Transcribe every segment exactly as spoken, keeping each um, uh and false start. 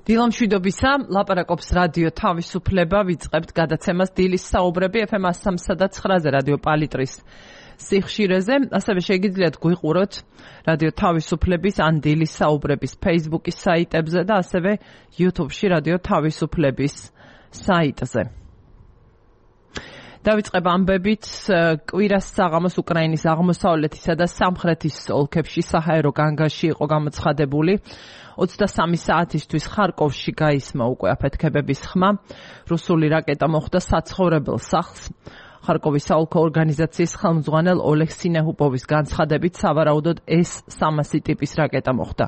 დილამშვიდობისა, ლაპარაკობს რადიო თავისუფლება, ვიწყებთ გადაცემას დილის საუბრები ეფ ემ სამსა და ცხრაზე რადიო პალიტრის სიხშირეზე, ასევე შეგიძლიათ გვიყუროთ რადიო თავისუფლების ან დილის საუბრების Facebook-ის საიტებზე და ასევე YouTube-ში რადიო თავისუფლების საიტზე. დავიწყებ ამბებით, კვირას საღამოს უკრაინის აღმოსავლეთისა და სამხრეთის ოლქებში საჰაერო განგაში იყო გამოცხადებული. ოცდასამი საათისთვის ხარკოვში გაისმა უკვე აფეთქებების ხმა. რუსული რაკეტა მოხვდა საცხოვრებელ სახლს. ხარკოვის საოლქო ორგანიზაციის ხელმძღვანელ ოლეგ სინეჰუპოვის განცხადებით, სავარაუდოდ ეს სამასი ტიპის რაკეტა მოხვდა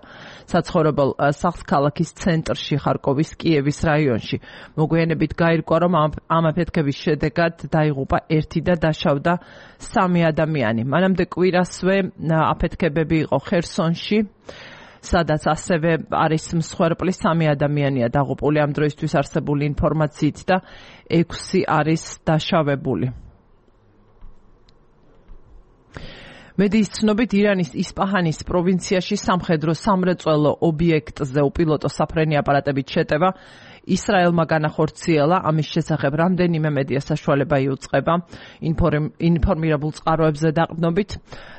საცხოვრებელ სახლს ქალაქის ცენტრში, ხარკოვის კიევის რაიონში. მოგვიანებით გაირკვა, რომ ამ აფეთქების შედეგად დაიღუპა ერთი და დაშავდა სამი ადამიანი. მანამდე კვირასვე აფეთქებები იყო ხერსონში, სადაც ასევე არის მსხვერპლი, სამი ადამიანია დაღუპული ამ დროისთვის არსებული ინფორმაციით და ექვსი არის დაშავებული. მედიის ცნობით, ირანის ისპაჰანის პროვინციაში სამხედრო სამრეწველო ობიექტზე უპილოტო საფრენი აპარატებით შეტევა ისრაელმა განახორციელა. ამის შესახებ რამდენიმე მედია საშუალება იუწყება ინფორმირებულ წყაროებზე დაყრდნობით.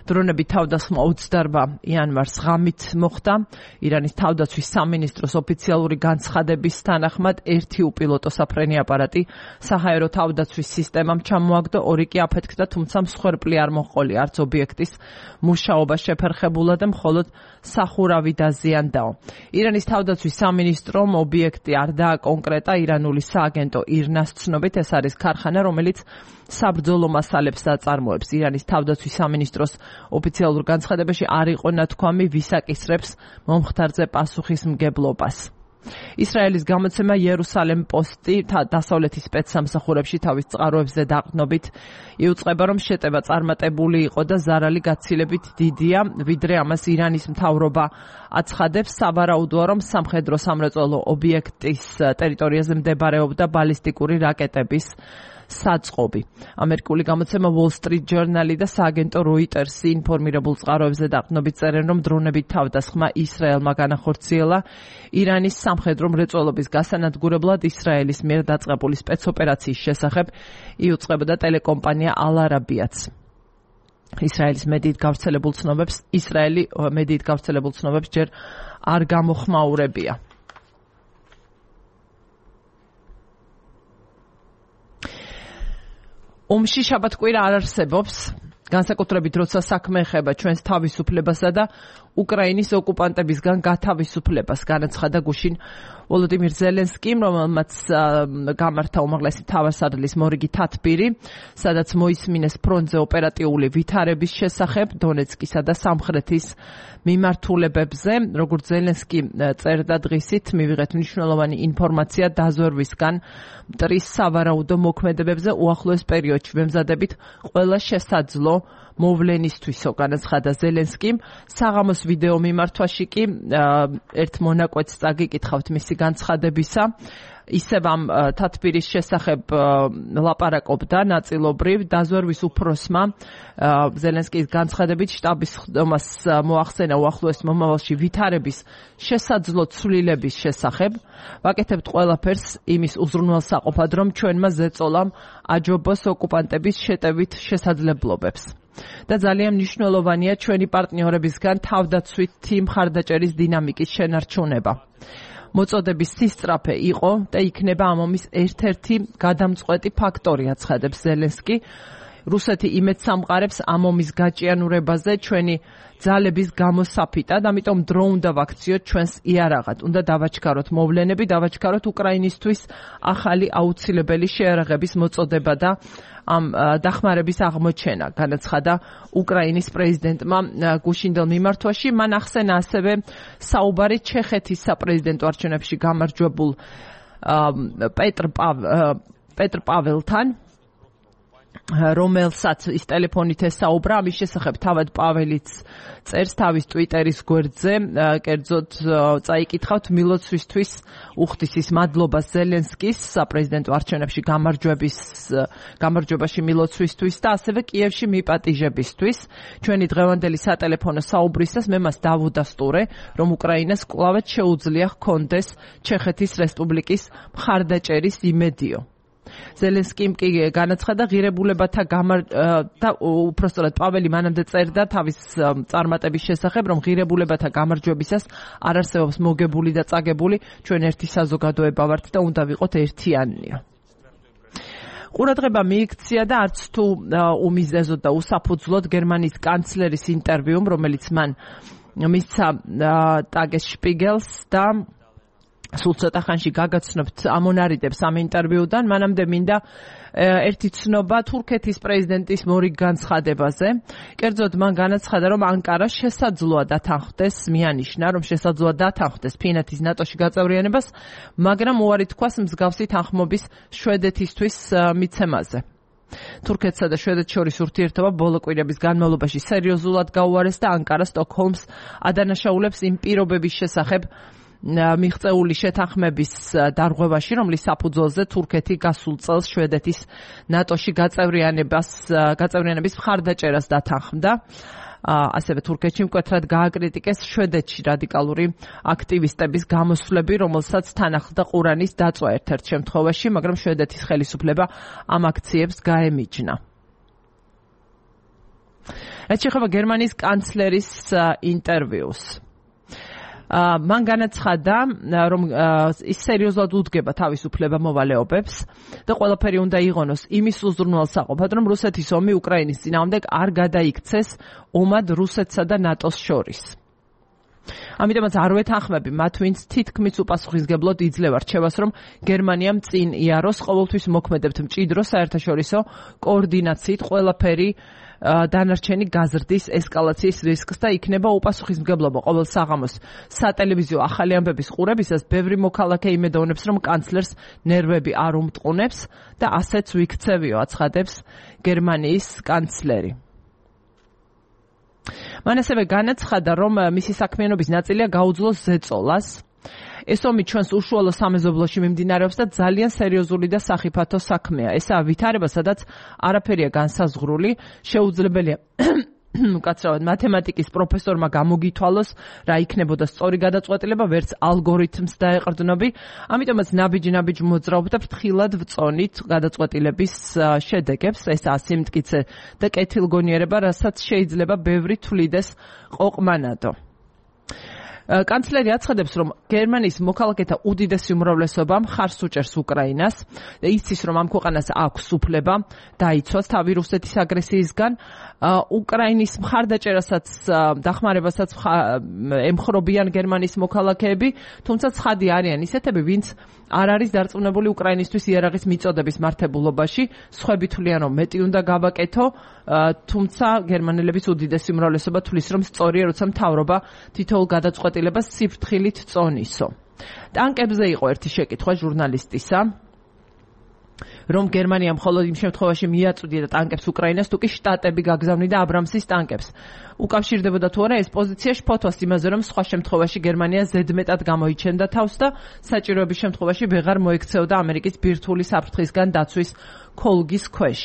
დრონები თავდასხმა ოცდაორ იანვარს ღამით მოხდა. ირანის თავდაცვის სამინისტროს ოფიციალური განცხადების თანახმად ერთი უპილოტო საფრენი აპარატი საჰაერო თავდაცვის სისტემამ ჩამოაგდო, ორი კი აფეთქდა, თუმცა მსხვერპლი არ მოჰყოლია, არც ობიექტის მუშაობა შეფერხებულა და მხოლოდ სახურავი დაზიანდაო. ირანის თავდაცვის სამინისტრომ ობიექტი არ დააკონკრეტა. ირანული სააგენტო ირნას ცნობით, ეს არის ქარხანა, რომელიც საბრძოლო მასალებს აწარმოებს. ირანის თავდაცვის სამინისტროს ოფიციალურ განცხადებაში არ იყო ნათქვამი, ვის აკისრებს მომხდარზე პასუხისმგებლობას. ისრაელის გამოცემა იერუსალემ პოსტი დასავლეთის სპეცსამსახურებში თავის წყაროებზე დაყრდნობით იუწყება, რომ შეტევა წარმატებული იყო და ზარალი გაცილებით დიდია, ვიდრე ამას ირანის მთავრობა აცხადებს. სავარაუდოა, რომ სამხედრო სამრეწველო ობიექტის ტერიტორიაზე მდებარეობდა ბალისტიკური რაკეტების საწყობი. ამერიკული გამოცემა Wall Street Journal და სააგენტო Reuters ინფორმირებულ წყაროებზე დაყრდნობით წერენ, რომ დრონებით თავდასხმა ისრაელმა განახორციელა. ირანის სამხედრო მრეწველობის გასანადგურებლად ისრაელის მიერ დაწყებული სპეცოპერაციის შესახებ იუწყებოდა ტელეკომპანია Al Arabia's. ისრაელის მედიით გავრცელებულ ცნობებს ისრაელი მედიით გავრცელებულ ცნობებს ჯერ არ გამოხმაურებია. ომში შაბათ-კვირა არ არსებობს, განსაკუთრებით როცა საქმე ეხება ჩვენს თავისუფლებასა და უკრაინის ოკუპანტებისგან გათავისუფლებას, განაცხადა გუშინ ვოლოდიმირ ზელენსკიმ, რომელმაც გამართა უმაღლესი მთავარსარდლის მორიგი თათბირი, სადაც მოისმინეს ფრონტზე ოპერატიული ვითარების შესახებ დონეცკისა და სამხრეთის მიმართულებებზე. როგორც ზელენსკი წერდა დღისით, მივიღეთ მნიშვნელოვანი ინფორმაცია დაზვერვისგან მტრის სავარაუდო მოქმედებებზე უახლოეს პერიოდში. ვემზადებით ყველა შესაძლო მოვლენისთვისო, განაცხადა ზელენსკიმ. საღამოს ვიდეო მიმართვაში კი ერთ მონაკვეთს წაგიკითხავთ მისი განცხადებისა. ისევ ამ თათბირის შესახებ ლაპარაკობდა ნაწილობრივ. დაზვერვის უფროსმა ზელენსკის განცხადებით შტაბის ხდომას მოახსენა უახლოეს მომავალში ვითარების შესაძლო ცვლილების შესახებ. ვაკეთებთ ყველაფერს იმის უზრუნველსაყოფად, რომ ჩვენმა ზეწოლამ აჯობოს ოკუპანტების შეტევით შესაძლებლობებს. და ძალიან მნიშვნელოვანია ჩვენი პარტნიორებისგან თავდაცვითი მხარდაჭერის დინამიკის შენარჩუნება. მოწოდების სისწრაფე იყო და იქნება ამ ომის ერთ-ერთი გადამწყვეტი ფაქტორი, აცხადებს ზელენსკი. რუსეთი იმედს ამყარებს ამ ომის გაჭიანურებაზე ჩვენი ძალების გამოსაფიტად, ამიტომ დრო უნდა ვაქციოთ ჩვენს იარაღად. უნდა დავაჩქაროთ მოვლენები, დავაჩქაროთ უკრაინისთვის ახალი აუცილებელი შეიარაღების მოწოდება და ამ დახმარების აღმოჩენა, განაცხადა უკრაინის პრეზიდენტმა გუშინდელ მიმართვაში. მან ახსენა ასევე საუბარი ჩეხეთის საპრეზიდენტო არჩევნებში გამარჯვებულ პეტრ პეტრ პაველთან. რომელსაც ის ტელეფონით ესაუბრა, ამის შესახებ თავად პაველიც წერს თავის ტვიტერის გვერდზე, კერძოდ წაიკითხავთ მილოცვისთვის უხდის ის მადლობას ზელენსკის საპრეზიდენტო არჩევნებში გამარჯვების გამარჯვებაში მილოცვისთვის და ასევე კიევში მიპატიჟებისთვის. ჩვენი დღევანდელი სატელეფონო საუბრისას მე მას დავუდასტურე, რომ უკრაინას კვლავაც შეუძლია ჰქონდეს ჩეხეთის რესპუბლიკის მხარდაჭერის იმედიო. ზელენსკიმ კი განაცხადა ღირებულებათა და უпростоრად პაველი მანამდე წერდა თავის წარმატების შესახებ, რომ ღირებულებათა გამარჯვებისას არ არსებობს მოგებული და წაგებული, ჩვენ ერთი საზოგადოება ვართ და უნდა ვიყოთ ერთიანია. ყურადღება მიიქცია და არც თუ უმიზეზოდ და უსაფუძვლოდ გერმანიის კანცლერის ინტერვიუმ, რომელიც მან მისცა ტაგესშპიგელს და სულ ცოტა ხანში გაგაცნობთ ამონარიდებს ამ ინტერვიუდან. მანამდე მინდა ერთი ცნობა თურქეთის პრეზიდენტის მორიგ განცხადებაზე. კერძოდ მან განაცხადა, რომ ანკარა შესაძლოა დათანხმდეს, მიანიშნა, რომ შესაძლოა დათანხმდეს ფინეთის ნატოში გაწევრიანებას, მაგრამ უარი თქვას მსგავსი თანხმობის შვედეთისთვის მიცემაზე. თურქეთსა და შვედეთს შორის ურთიერთობა ბოლო კვირების განმავლობაში სერიოზულად გაუარეს და ანკარა სტოკჰოლმს ადანაშაულებს იმ პირობების შესახებ მიღწეული შეთანხმების დარღვევაში, რომლის საფუძველზე თურქეთი გასულ წელს შვედეთის ნატოში გაწევრიანებას გაწევრიანების მხარდაჭერას დათანხმდა. ასევე თურქეთში მკვეთრად გააკრიტიკეს შვედეთში რადიკალური აქტივისტების გამოსვლები, რომელსაც თან ახლდა ყურანის დაწვა ერთ-ერთ შემთხვევაში, მაგრამ შვედეთის ხელისუფლება ამ აქციებს გაემიჯნა. რაც შეეხება გერმანიის კანცლერის ინტერვიუს. მან განაცხადა, რომ ის სერიოზულად უდგება თავისუფლება მოვალეობებს და ყველაფერი უნდა იღონოს იმის უზრუნველსაყოფად, რომ რუსეთის ომი უკრაინის წინააღმდეგ არ გადაიქცეს ომად რუსეთსა და ნატოს შორის. ამიტომაც არ ვეთანხმები მათ, ვინც თითქმის უპასუხისმგებლოდ იძლევა რჩევას, რომ გერმანიამ წინ იაროს, ყოველთვის მოქმედებთ მჭიდრო საერთაშორისო კოორდინაციით, ყველაფერი დანარჩენი გაზრდის ესკალაციის რისკს და იქნება უპასუხისმგებლობა ყოველ საღამოს სატელევიზიო ახალი ამბების ყურებისას. ბევრი მოქალაქე იმედოვნებს, რომ კანცლერს ნერვები არ უმტყუნებს და ასეც ვიქცევიო, აცხადებს გერმანიის კანცლერი. მან ასევე განაცხადა, რომ მისი საქმიანობის ნაწილია გაუძლოს ზეწოლას. ეს ომი ჩვენს უშუალო სამეზობლოში მიმდინარეობს და ძალიან სერიოზული და სახიფათო საქმეა. ესაა ვითარება, სადაც არაფერია განსაზღვრული, შეუძლებელია უკაცრავად მათემატიკის პროფესორმა გამოგითვალოს, რა იქნებოდა სწორი გადაწყვეტილება, ვერც ალგორითმს დაეყრდნობი. ამიტომაც ნაბიჯ-ნაბიჯ მოძრაობ და ფრთხილად ვწონით გადაწყვეტილების შედეგებს. ესაა სიმტკიცე და კეთილგონიერება, რასაც შეიძლება ბევრი თვლიდეს ყოყმანადო. კანცლერი აცხადებს, რომ გერმანიის მოქალაქეთა უდიდესი უმრავლესობა მხარს უჭერს უკრაინას და იცის, რომ ამ ქვეყანას აქვს უფლება დაიცვას თავი რუსეთის აგრესიისგან. უკრაინის მხარდაჭერასაც დახმარებასაც ემხრობიან გერმანიის მოქალაქეები, თუმცა ცხადი არიან ისეთები, ვინც არ არის დარწმუნებული უკრაინისთვის იარაღის მიწოდების მართებულობაში. სხვები თვლიან, რომ მეტი უნდა გავაკეთო, თუმცა გერმანელების უდიდესი უმრავლესობა თვლის, რომ სწორია, როცა მთავრობა თითოეულ გადაწყვეტილებას სიფრთხილით წონისო. ტანკებზე იყო ერთი შეკითხვა ჟურნალისტისა, რომ გერმანია მხოლოდ იმ შემთხვევაში მიაწვდია ტანკებს უკრაინას, თუ კი შტატები გაგზავნიდა აბრამსის ტანკებს. უკავშირდებოდა თუ არა ეს პოზიცია შფოთვას იმაზე, რომ სხვა შემთხვევაში გერმანია ზედმეტად გამოიჩენდა თავს და საჭიროების შემთხვევაში ვეღარ მოექცეოდა ამერიკის ბირთვული საფრთხისგან დაცვის ქოლგის ქვეშ.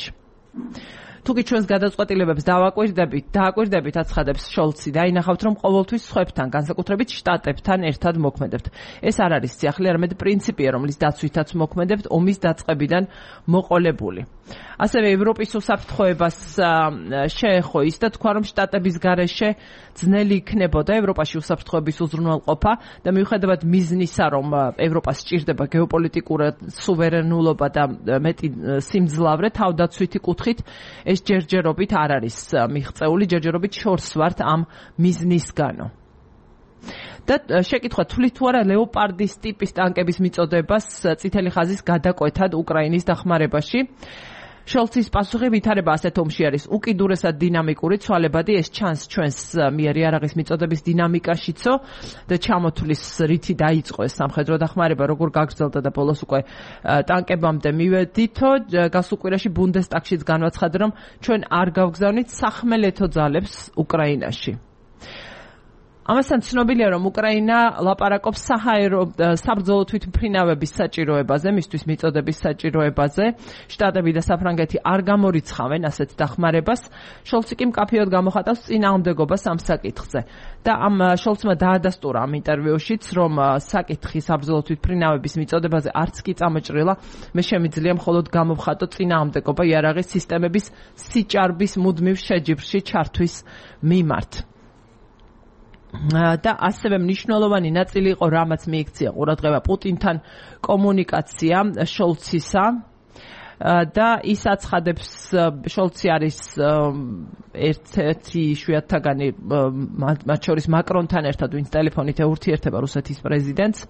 თუკი ჩვენს გადაწყვეტილებებს დავაკვირდებით, დააკვირდებით, აცხადებს შოლცი და ინახავთ, რომ ყოველთვის სხვებთან, განსაკუთრებით შტატებთან ერთად მოქმედებთ. ეს არ არის სიახლე, არამედ პრინციპია, რომლის დაცვითაც მოქმედებთ ომის დაწყებიდან მოყოლებული. ასევე ევროპის უსაფრთხოებას შეეხო ის და თქვა, რომ შტატების გარეშე ძნელი იქნებოდა ევროპაში უსაფრთხოების უზრუნველყოფა და მიუხედავად მიზნისა, რომ ევროპას სჭირდება გეოპოლიტიკური სუვერენულობა და მეტი სიმძლავრე თავდაცვითი კუთხით, ეს ჯერჯერობით არ არის მიღწეული, ჯერჯერობით შორს ვართ ამ მიზნისგანო. და შეკითხვა თვლით თუ არა ლეოპარდის ტიპის ტანკების მიწოდებას წითელი ხაზის გადაკვეთად უკრაინის დახმარებაში. შოლცის პასუხი ვითარება ასეთ ომში არის უკიდურესად დინამიკური, ცვალებადი, ეს ჩანს ჩვენს მიერ იარაღის მიწოდების დინამიკაშიცო და ჩამოთვლის რითი დაიწყო ეს სამხედრო დახმარება, როგორ გაგრძელდა და ბოლოს უკვე ტანკებამდე მივედითო. გასულ კვირაში ბუნდესტაგშიც განაცხადა, რომ ჩვენ არ გავგზავნით სახმელეთო ძალებს უკრაინაში. ამასთან ცნობილია, რომ უკრაინა ლაპარაკობს საჰაერო საბრძოლო თვითმფრინავების საჭიროებაზე, მისთვის მიწოდების საჭიროებაზე. შტატები და საფრანგეთი არ გამორიცხავენ ასეთ დახმარებას. შოლცი კი მკაფიოდ გამოხატავს წინააღმდეგობას ამ საკითხზე. და ამ შოლცმა დაადასტურა ამ ინტერვიუშიც, რომ საკითხი საბრძოლო თვითმფრინავების მიწოდებაზე არც კი წამოჭრილა, მე შემიძლია მხოლოდ გამოვხატო წინააღმდეგობა იარაღის სისტემების სიჭარბის მუდმივ შეჯიბრში ჩართვის მიმართ. და ასევე მნიშვნელოვანი ნაწილი იყო, რამაც მიიქცია ყურადღება პუტინთან კომუნიკაცია შოლცისა და ის აცხადებს, შოლცი არის ერთ-ერთი იშვიათთაგანი მათ შორის მაკრონთან ერთად, ვინც ტელეფონით ეურთიერთება რუსეთის პრეზიდენტს.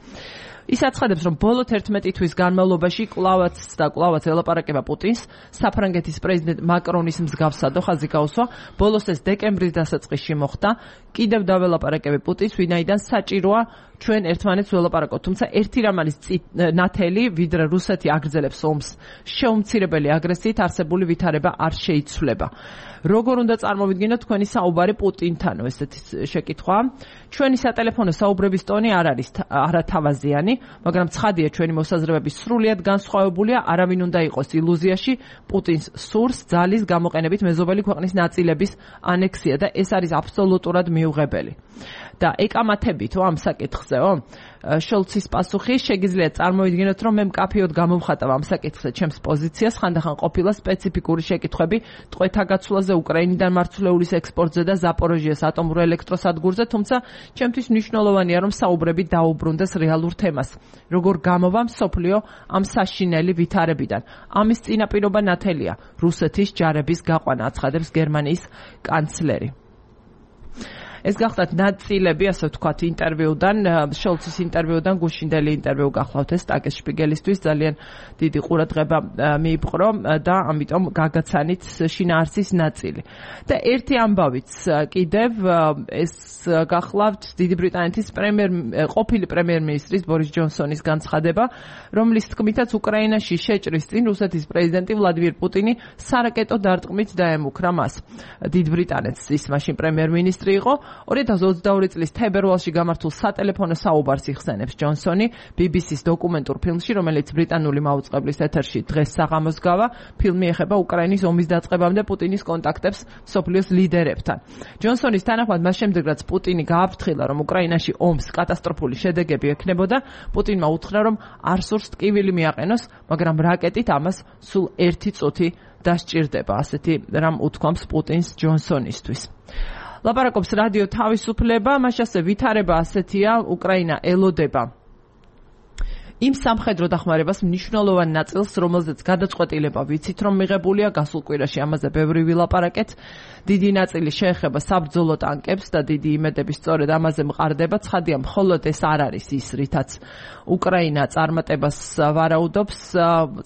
ის აცხადებს, რომ ბოლო თერთმეტი თვის განმავლობაში კვლავაც და კვლავაც ელაპარაკება პუტინს, საფრანგეთის პრეზიდენტ მაკრონის მსგავსად ხაზი გაუსვა, ბოლოს ეს დეკემბრის დასაწყისში მოხდა, კიდევ დაველაპარაკები პუტინს, ვინაიდან საჭიროა ჩვენ ერთმანეთს ველაპარაკოთ, თუმცა ერთი რამ არის ნათელი, ვიდრე რუსეთი აგრძელებს ომს, შეუმცირებელი აგრესიით არსებული ვითარება არ შეიცვლება. როგორ უნდა წარმოვიდგინოთ თქვენი საუბარი პუტინთანო, ესეთი შეკითხვა. ჩვენი სატელეფონო საუბრების ტონი არ არის არათავაზიანი, მაგრამ ცხადია ჩვენი მოსაზრებები სრულიად განსხვავებულია, არავინ უნდა იყოს ილუზიაში, პუტინს სურს ძალის გამოყენებით მეზობელი ქვეყნის ნაწილების ანექსია და ეს არის აბსოლუტურად მიუღებელი. და ეკამათებითო ამ საკითხზეო, შოლცის პასუხი, შეგიძლიათ წარმოვიდგინოთ, რომ მე მკაფიოდ გამოვხატავ ამ საკითხზე ჩემს პოზიციას, ხანდახან ყოფილა სპეციფიკური შეკითხვები ტყვეთა გაცვლაზე, უკრაინიდან მარცვლეულის ექსპორტზე და ზაპოროჟიეს ატომურ ელექტროსადგურზე, თუმცა ჩემთვის მნიშვნელოვანია, რომ საუბრები დაუბრუნდეს რეალურ თემას. როგორ გამოვა მსოფლიო ამ საშინელი ვითარებიდან. ამის წინაპირობა ნათელია რუსეთის ჯარების გაყვანა, აცხადებს გერმანიის კანცლერი. ეს გახდათ ნაწილები, ასე ვთქვათ, ინტერვიუდან, შოლცის ინტერვიუდან, გუშინდელი ინტერვიუ გახლავთ ეს ტაგესშპიგელისთვის, ძალიან დიდი ყურადღება მიიპყრო და ამიტომ გაგაცანით შინაარსის ნაწილი. და ერთი ამბავიც კიდევ ეს გახლავთ დიდი ბრიტანეთის პრემიერ ყოფილი პრემიერ-მინისტრის ბორის ჯონსონის განცხადება, რომლის თქმითაც უკრაინაში შეჭრის წინ რუსეთის პრეზიდენტი ვლადიმირ პუტინი სარაკეტო დარტყმით დაემუქრა მას. დიდ ბრიტანეთს ის მაშინ პრემიერ-მინისტრი იყო. ორი ათას ოცდაორი წლის თებერვალში გამართულ სატელეფონო საუბარს იხსენებს ჯონსონი ბი ბი სის დოკუმენტურ ფილმში, რომელიც ბრიტანული მაუწყებლის ეთერში დღეს საღამოს გავა. ფილმი ეხება უკრაინის ომის დაწყებამდე პუტინის კონტაქტებს მსოფლიოს ლიდერებთან. ჯონსონის თანახმად მას შემდეგ, რაც პუტინი გააფრთხილა, რომ უკრაინაში ომს კატასტროფული შედეგები ექნებოდა, პუტინმა უთხრა, რომ არ სურს ტკივილი მიაყენოს, მაგრამ რაკეტით ამას სულ ერთი წუთი დასჭირდება. ასეთი რამ უთქვამს პუტინს ჯონსონისთვის. ლაპარაკობს რადიო თავისუფლება, მას ასე ვითარება ასეთია, უკრაინა ელოდება იმ სამხედრო დახმარებას მნიშვნელოვან ნაწილს, რომელზეც გადაწყვეტილება ვიცით, რომ მიღებულია, გასულ კვირაში ამაზე ბევრი ვილაპარაკეთ. დიდი ნაწილი შეეხება საბრძოლო ტანკებს და დიდი იმედები სწორედ ამაზე მყარდება. ცხადია, მხოლოდ ეს არ არის ის, რითაც უკრაინა წარმატებას ვარაუდობს,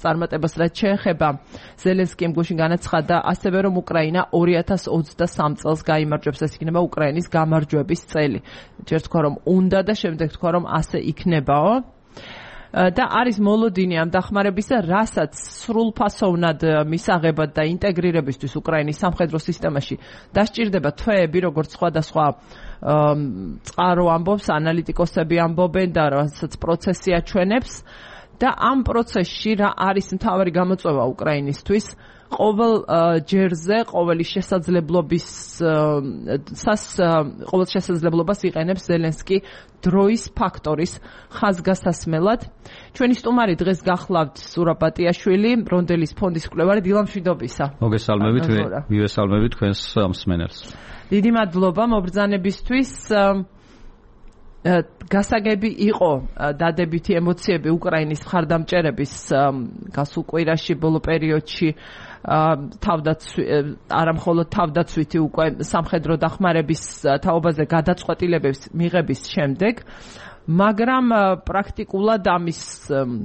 წარმატებას რაც შეეხება ზელენსკიმ გუშინ განაცხადა, ასევე რომ უკრაინა ორი ათას ოცდასამ წელს გაიმარჯვებს, ეს იქნება უკრაინის გამარჯვების წელი. ჯერ თქვა რომ უნდა და შემდეგ თქვა რომ ასე იქნებაო. და არის მოლოდინი ამ დახმარებისა, რასაც სრულფასოვნად მისაღებად და ინტეგრირებისთვის უკრაინის სამხედრო სისტემაში დასჭირდება თვეები, როგორც სხვადასხვა წყარო ამბობს, ანალიტიკოსები ამბობენ და რასაც პროცესი აჩვენებს. და ამ პროცესში რა არის მთავარი გამოწვევა უკრაინისთვის? ყოველ ჯერზე, ყოველი შესაძლებლობის სას ყოველ შესაძლებლობას იყენებს ზელენსკი დროის ფაქტორის ხაზგასასმელად. ჩვენი სტუმარი დღეს გახლავთ სურაპატიაშვილი, რონდელის ფონდის მკვლევარი, დილამშვიდობისა. მოგესალმებით, მივესალმებით თქვენს მსმენელს. დიდი მადლობა მობრძანებისთვის. გასაგები იყო დადებითი ემოციები უკრაინის მხარდამჭერების გასულ კვირაში, ბოლო პერიოდში თავდაცვი არა მხოლოდ თავდაცვითი უკვე სამხედრო დახმარების თაობაზე გადაწყვეტილებების მიღების შემდეგ. მაგრამ პრაქტიკულად ამის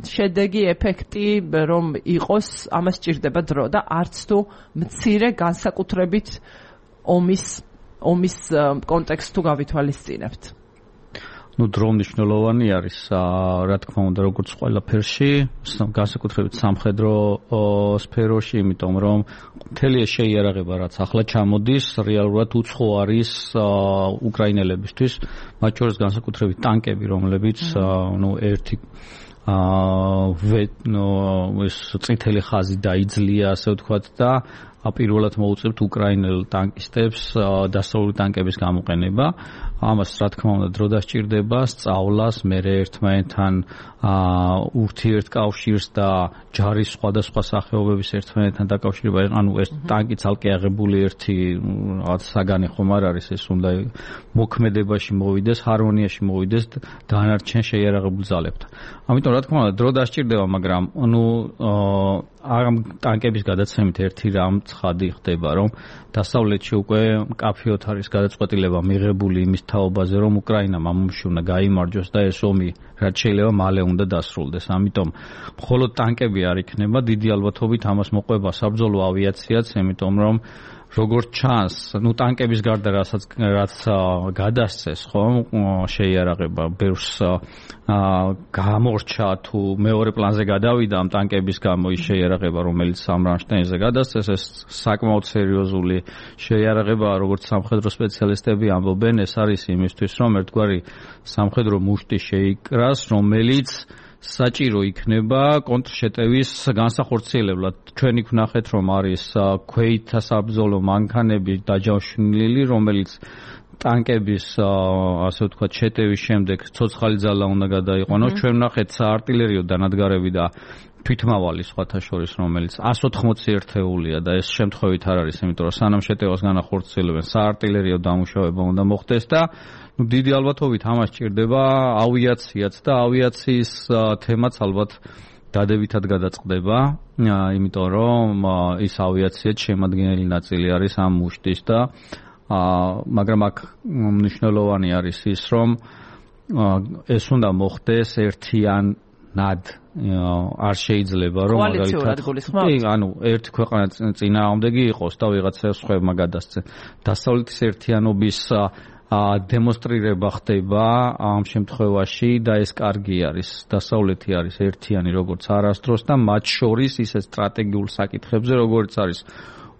შედეგი, ეფექტი რომ იყოს, ამას სჭირდება დრო და არც თუ მცირე განსაკუთრებით ომის ომის კონტექსტს თუ გავითვალისწინებთ. Ну, დრო მნიშვნელოვანი არის, რა თქმა უნდა, როგორც ყველაფერში, განსაკუთრებით სამხედრო სფეროში, იმიტომ რომ მთელი ეს შეიარაღება, რაც ახლა ჩამოდის, რეალურად უცხო არის უკრაინელებისთვის, მათ შორის განსაკუთრებით ტანკები, რომლებიც, ну, ერთი აა ეს წითელი ხაზი დაიძლია, ასე ვთქვათ და პირველად მოუწევთ უკრაინელ ტანკისტებს დასავლური ტანკების გამოყენება. ამას რა თქმა უნდა დრო დასჭირდება, სწავლას, მერე ერთმანეთთან ურთიერთკავშირს და ჯარის სხვადასხვა სახეობების ერთმანეთთან დაკავშირება. ანუ ეს ტანკი ცალკე აღებული ერთი რაღაც საგანი ხომ არ არის, ეს უნდა მოქმედებაში მოვიდეს, ჰარმონიაში მოვიდეს დანარჩენ შეიარაღებულ ძალებთან. ამიტომ რა თქმა უნდა დრო დასჭირდება, მაგრამ ანუ ამ ტანკების გადაცემით ერთი რამ ცხადი ხდება, რომ დასავლეთში უკვე მკაფიოდ არის გადაწყვეტილება მიღებული იმის თაობაზე, რომ უკრაინამ ამ ომში უნდა გაიმარჯვოს და ეს ომი რაც შეიძლება მალე უნდა დასრულდეს. ამიტომ მხოლოდ ტანკები არ იქნება, დიდი ალბათობით ამას მოყვება საბრძოლო ავიაციაც, იმიტომ რომ როგორც ჩანს, ну ტანკების გარდა რასაც რაც გადასცეს, ხომ, შეიარაღება ბევრს გამორჩა თუ მეორე პლანზე გადავიდა ამ ტანკების გამო ის შეიარაღება, რომელიც ამ რამშტაინზე გადასცეს, ეს საკმაოდ სერიოზული შეიარაღებაა, როგორც სამხედრო სპეციალისტები ამბობენ, ეს არის იმისთვის, რომ ერთგვარი სამხედრო მუშტი შეიკრას, რომელიც საჭირო იქნება კონტრშეტევის განსახორციელებლად. ჩვენი ვნახეთ, რომ არის ქვეითთა საბრძოლო მანქანები დაჯავშნილი, რომელიც ტანკების ასე ვთქვათ შეტევის შემდეგ ცოცხალი ძალა უნდა გადაიყვანოს. ჩვენ ვნახეთ საარტილერიო დანადგარები და თვითმავალი სხვათა შორის, რომელიც εκατს ოთხმოცი ერთეულია და ეს შემთხვევით არ არის, იმიტომ რომ სანამ შეტევას განახორციელებენ, საარტილერიო დამუშავება უნდა მოხდეს და ну დიდი ალბათობით ამას სჭირდება ავიაციაც და ავიაციის თემაც ალბათ დადებითად გადაწყდება, იმიტომ რომ ის ავიაციაც შემადგენელი ნაწილი არის ამ მუშტის და მაგრამ აქ მნიშვნელოვანი არის ის, რომ ეს უნდა მოხდეს ერთიანად, არ შეიძლება რომ კოალიციურად გულისხმობთ? კი, ანუ ერთი ქვეყანა წინააღმდეგი იყოს და ვიღაცა სხვებმა გადასცენ. დასავლეთის ერთიანობის დემონსტრირება ხდება ამ შემთხვევაში და ეს კარგი არის. დასავლეთი არის ერთიანი როგორც არასდროს და მათ შორის ისე სტრატეგიულ საკითხებზე, როგორც არის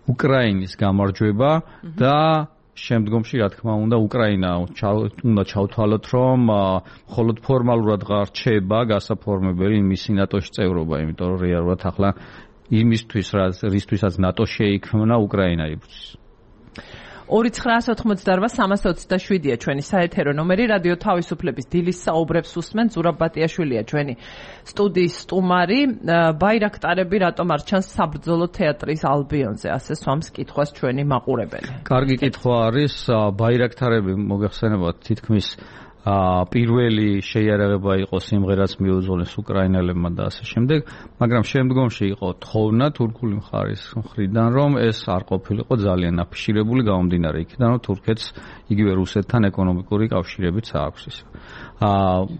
უკრაინის გამარჯვება და შემდგომში რა თქმა უნდა უკრაინა უნდა ჩავთვალოთ, რომ მხოლოდ ფორმალურად რჩება გასაფორმებელი მისი ნატოში წევრობა, იმიტომ რომ რეალურად ახლა იმისთვის, რისთვისაც ნატო შეიქმნა, უკრაინა იბრძვის. ორი ცხრაასი ოცდაოთხ სამასი ოცდაშვიდია ჩვენი საეთერო ნომერი, რადიო თავისუფლების დილის საუბრებს უსმენ, ზურაბ ბატიაშვილია ჩვენი სტუდიის სტუმარი. ბაირაქტარები რატომ არ ჩანს საბრძოლო თეატრის ალბიონზე, ასე სვამს კითხვას ჩვენი მაყურებელი. კარგი კითხვა არის, ბაირაქტარები მოგეხსენებათ თითქმის პირველი შეიარაღება იყო სიმღერაც მიუძღვნეს უკრაინელებმა და ასე შემდეგ, მაგრამ შემდგომში იყო თხოვნა თურქული მხარის მხრიდან, რომ ეს არ ყოფილიყო ძალიან აფიშირებული, გამომდინარე იქიდან, რომ თურქეთს იგივე რუსეთთან ეკონომიკური კავშირებიც აქვს ის.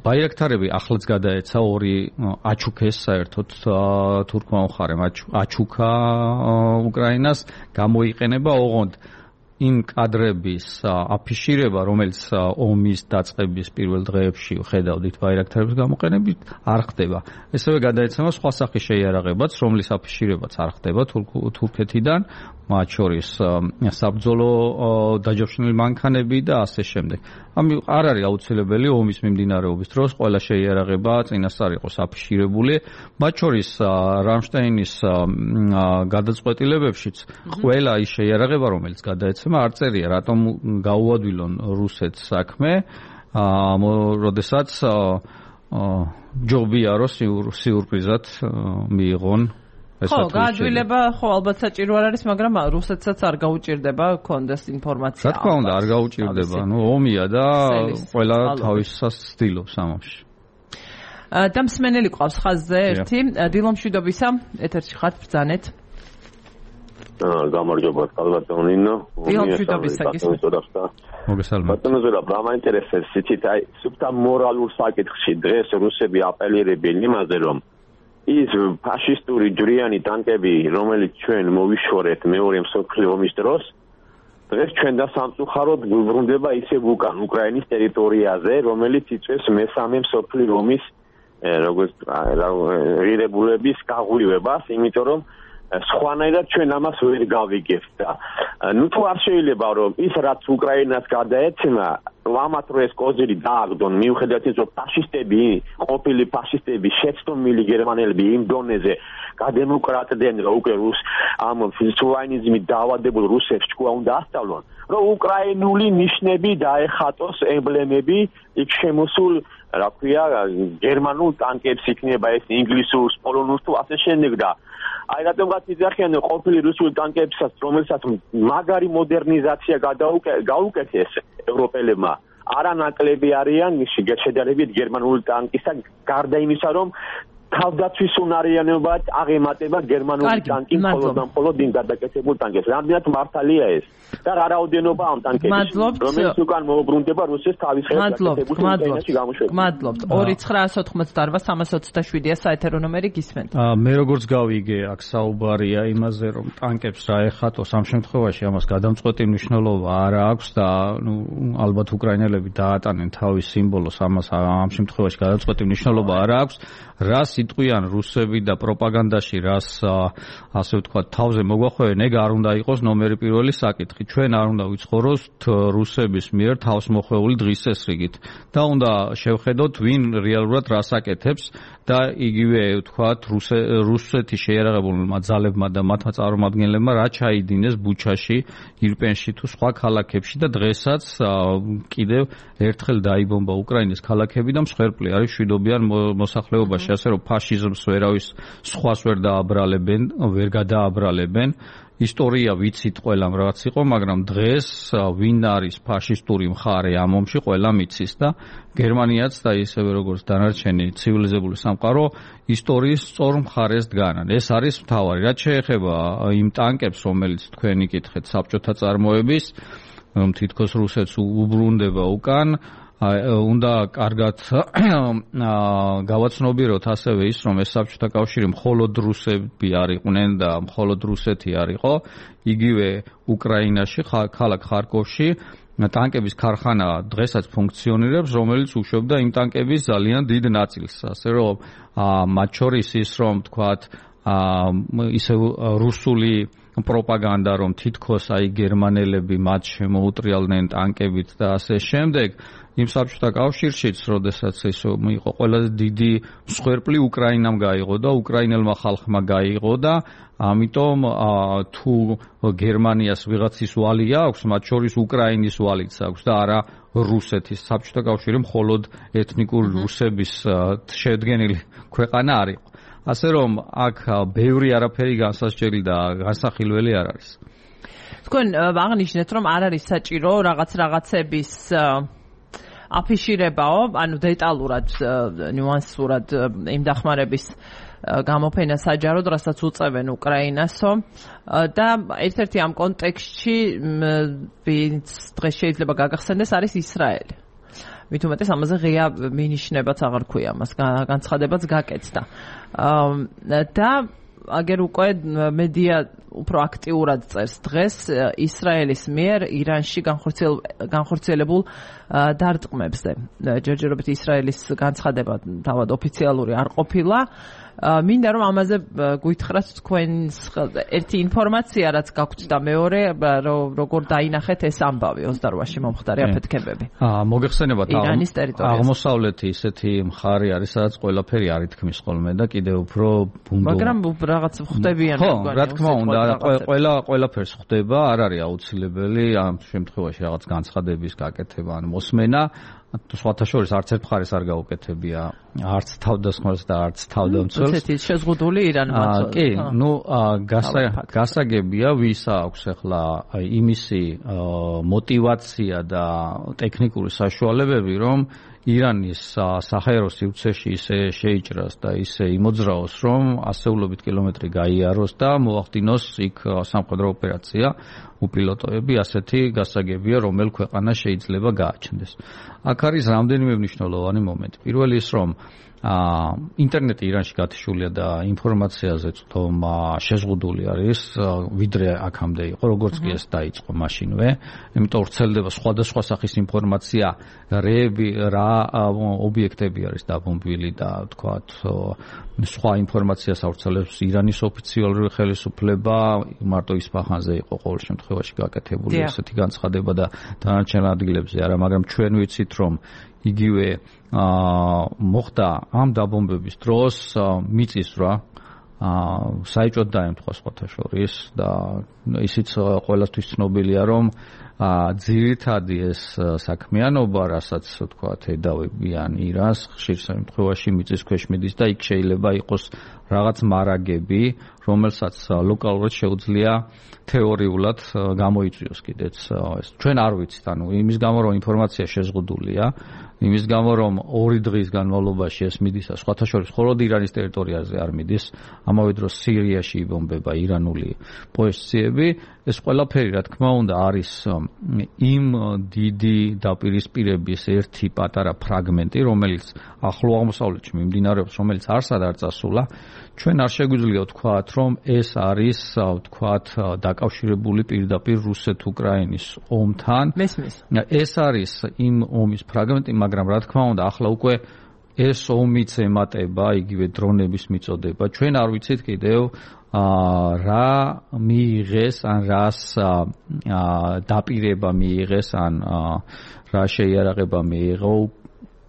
ბაირაქტარები ახლაც გადაეცა ორი აჩუქეს საერთოდ თურქმა მხარემ აჩუქა უკრაინას, გამოიყენება ოღონდ იმ კადრების აფიშირება, რომელიც ომის დაწყების პირველ დღეებში ხედავდით ბაირაქტარების გამოყენებით, არ ხდება. ესევე გადაეცემა სხვა სახის შეიარაღებაც, რომლის აფიშირებაც არ ხდება თურქეთიდან, მათ შორის საბრძოლო დაჯავშნილი მანქანები და ასე შემდეგ. ამი არ არის აუცილებელი ომის მიმდინარეობის დროს ყველა შეიარაღება წინასწარ იყოს აფიშირებული, მათ შორის რამშტაინის გადაწყვეტილებებშიც ყველა ის შეიარაღება, რომელიც გადაეცემა, არ წერია რატომ გაუადვილონ რუსეთს საქმე, როდესაც ჯობია რომ სიურპრიზად მიიღონ. ხო, გაადვილება, ხო, ალბათ საჭირო არ არის, მაგრამ რუსეთსაც არ გაუჭირდება კონდეს ინფორმაცია. რა თქმა უნდა, არ გაუჭირდება, ნუ ომია და ყველა თავისას ცდილობს ამაში. და მსმენელი ყავს ხაზზე ერთი, დილომშვიდობისა, ეთერში ხართ, ბრძანეთ. გამარჯობა კალბატონინო. მოგესალმებით. ბატონო ზურაბ, რა მაინტერესებს იცით, აი, სუფთა მორალურ საკითხში დღეს რუსები აპელირებენ იმაზე, რომ ის ფაშისტური ჯვრიანი ტანკები, რომელიც ჩვენ მოვიშორეთ მეორე მსოფლიო ომის დროს, დღეს ჩვენ და სამწუხაროდ ბრუნდება ისევ უკან უკრაინის ტერიტორიაზე, რომელიც იწვევს მესამე მსოფლიო ომის როგორც ღირებულების გაღვივებას, იმიტომ რომ სხვანაირად ჩვენ ამას ვერ გავიგებთ და ნუ თუ არ შეიძლება რომ ის რაც უკრაინას გადაეცემა ამათ რო ეს კოზირი დააგდონ მიუხედავად ის რომ ფაშისტები ყოფილი ფაშისტები შეცდომილი გერმანელები იმ დონეზე გადემოკრატდნენ რომ უკვე რუს ამ ფიზიკურიზმით დაავადებულ რუსებს ჭკუა უნდა ასწავლონ რომ უკრაინული ნიშნები დაეხატოს ემბლემები იქ შემოსულ რა ქვია გერმანულ ტანკებს იქნება ეს ინგლისურს პოლონურს თუ ასე შემდეგ და აი რატომღაც იძახიან ყოფილი რუსული ტანკებსაც რომელსაც მაგარი მოდერნიზაცია გაუკეთეს ევროპელებმა არანაკლები არიან შედარებით გერმანული ტანკისა გარდა იმისა რომ თავდაცვის უნარიანობად აღემატება გერმანული ტანკი მხოლოდ და მხოლოდ იმ გადაკეთებულ ტანკებს რამდენად მართალია ეს და რა რაოდენობა ამ ტანკების რომელიც უკან მოუბრუნდება რუსეთის თავის ხელშეკეთებულ ტანკებში გამოშვება მადლობთ ორი ცხრაას ოთხმოცდაარბა სამას ოცდაშვიდია საეთერო ნომერი გისმენთ მე როგორც გავიგე აქ საუბარია იმაზე რომ ტანკებს რა ეხატოს ამ შემთხვევაში ამას გადამწყვეტი მნიშვნელობა არ აქვს და ნუ ალბათ უკრაინელები დაატანენ თავის სიმბოლოს ამას ამ შემთხვევაში გადამწყვეტი მნიშვნელობა არ აქვს რა სიტყვიან რუსები და პროპაგანდაში რას ასე ვთქვათ თავზე მოგვახვევენ ეგ არ უნდა იყოს ნომერი პირველი საკითხი ჩვენ არ უნდა ვიცხოვროთ რუსების მიერ თავს მოხვეული დღის წესრიგით და უნდა შევხედოთ ვინ რეალურად რას აკეთებს და იგივე ვთქვათ რუსეთის შეიარაღებულმა ძალებმა და მათმა წარმომადგენლებმა რა ჩაიდინეს ბუჩაში ირპენში თუ სხვა ქალაქებში და დღესაც კიდევ ერთხელ დაიბომბა უკრაინის ქალაქები და მსხვერპლი არის მშვიდობიან მოსახლეობაში ასე რომ ფაშიზმს ვერავის სხვას ვერ დააბრალებენ, ვერ გადააბრალებენ. ისტორია ვიცით ყველამ რაღაც იყო, მაგრამ დღეს ვინ არის ფაშისტური მხარე ამ ომში, ყველამ იცის და გერმანიაც და ისევე როგორც დანარჩენი ცივილიზებული სამყარო ისტორიის სწორ მხარეს დგანან. ეს არის მთავარი. რაც შეეხება იმ ტანკებს, რომელიც თქვენ იკითხეთ საბჭოთა წარმოების, რომ თითქოს რუსეთს უბრუნდება უკან უნდა კარგად გავაცნობიეროთ ასევე ის, რომ ეს საბჭოთა კავშირი მხოლოდ რუსები არ იყვნენ და მხოლოდ რუსეთი არ იყო, იგივე უკრაინაში, ქალაქ ხარკოვში ტანკების ქარხანა დღესაც ფუნქციონირებს, რომელიც უშვებდა იმ ტანკების ძალიან დიდ ნაწილს. ასე რომ მათ შორის ის რომ თქვათ ისე რუსული პროპაგანდა რომ თითქოს აი გერმანელები მათ შემოუტრიალდნენ ტანკებით და ასე შემდეგ იმ საბჭოთა კავშირშიც, როდესაც ეს იყო ყველაზე დიდი მსხვერპლი უკრაინამ გაიღო და უკრაინელმა ხალხმა გაიღო და ამიტომ თუ გერმანიას ვიღაცის ვალი აქვს, მათ შორის უკრაინის ვალიც აქვს და არა რუსეთის. საბჭოთა კავშირი მხოლოდ ეთნიკური რუსების შედგენილი ქვეყანა არ იყო. ასე რომ აქ ბევრი არაფერი განსასჯელი და განსახილველი არ არის. თქვენ აღნიშნეთ, რომ არ არის საჭირო რაღაც რაღაცების აფიშირებაო, ანუ დეტალურად, ნიუანსურად იმ დახმარების გამოფენა საჯაროდ, რასაც უწევენ უკრაინასო და ერთ-ერთი ამ კონტექსტში ვინც დღეს შეიძლება გაგახსენდეს არის ისრაელი. მით უმეტეს ამაზე ღია მინიშნებაც აღარ ქვია მას, განცხადებაც გაკეთდა. და აგერ უკვე მედია უფრო აქტიურად წერს დღეს ისრაელის მიერ ირანში განხორციელებულ დარტყმებზე. ჯერჯერობით ისრაელის განცხადება თავად ოფიციალური არ ყოფილა. მინდა რომ ამაზე გვითხრათ თქვენს ერთი ინფორმაცია რაც გაქვთ და მეორე როგორ დაინახეთ ეს ამბავი ოცდარვაში მომხდარი აფეთქებები. აა მოგეხსენებათ ირანის ტერიტორიაზე. აღმოსავლეთი ისეთი მხარე არის სადაც ყველაფერი არ ითქმის ხოლმე და კიდევ უფრო ბუნდო. მაგრამ რაღაც ხვდებიან როგორ რა თქმა უნდა ყველა ყველაფერს ხვდება, არ არის აუცილებელი ამ შემთხვევაში რაღაც განცხადების გაკეთება ან მოსმენა. სხვათა შორის არც ერთ მხარეს არ გაუკეთებია არც თავდასხმას და არც თავდამცველს. რუსეთის შეზღუდული ირანმა. კი, ნუ გასაგებია ვის აქვს ახლა იმისი мотиваცია და ტექნიკური საშუალებები, რომ ირანის საჰაერო სივრცეში ისე შეიჭრას და ისე იმოძრაოს, რომ ასეულობით კილომეტრი გაიაროს და მოახდინოს იქ სამხედრო ოპერაცია, უპილოტოები, ასეთი გასაგებია, რომელ ქვეყანა შეიძლება გააჩნდეს. აქ არის რამდენიმე მნიშვნელოვანი მომენტი. პირველი ის, რომ აა ინტერნეტი ირანში გათიშულია და ინფორმაციაზე თქმა შეზღუდული არის, ვიდრე აქამდე იყო, როგორც კი ეს დაიწყო მაშინვე, იმიტომ ვრცელდება სხვადასხვა სახის ინფორმაცია, რეები, რა ობიექტები არის დაბომბვილი და თქვათ სხვა ინფორმაციას ავრცელებს ირანის ოფიციალური ხელისუფლება, მარტო ისფაჰანზე იყო ყოველ შემთხვევაში გაკეთებული ესეთი განცხადება და დანარჩენ ადგილებზე არა, მაგრამ ჩვენ ვიცით, რომ იგივე აა მოხდა ამ დაბომბების დროს მიწისძვრა აა საეჭვოდ დაემთხვა სხვათა შორის და ისიც ყველასთვის ცნობილია, რომ აა ძირითადი ეს საქმიანობა, რასაც თქვათ ედავებიან ირანს, ხშირ შემთხვევაში მიწის ქვეშ მიდის და იქ შეიძლება იყოს რაღაც მარაგები, რომელსაც ლოკალურად შეუძლია თეორიულად გამოიწვიოს კიდეც ეს. ჩვენ არ ვიცით, ანუ იმის გამო, რომ ინფორმაცია შეზღუდულია, იმის გამო, რომ ორი დღის განმავლობაში ეს მიდის, სხვათა შორის მხოლოდ ირანის ტერიტორიაზე არ მიდის, ამავე დროს სირიაში იბომბება ირანული პოზიციები, ეს ყველაფერი, რა თქმა უნდა, არის იმ დიდი დაპირისპირების ერთი პატარა ფრაგმენტი, რომელიც ახლო აღმოსავლეთში მიმდინარეობს, რომელიც არსად არ წასულა. ჩვენ არ შეგვიძლია ვთქვათ, რომ ეს არის, ვთქვათ, დაკავშირებული პირდაპირ რუსეთ-უკრაინის ომთან. მესმის. ეს არის იმ ომის ფრაგმენტი, მაგრამ რა თქმა უნდა, ახლა უკვე ეს ომიც ემატება იგივე დრონების მიწოდება. ჩვენ არ ვიცით კიდევ აა რა მიიღეს, ან რას აა დაპირება მიიღეს, ან რა შეიარაღება მიიღო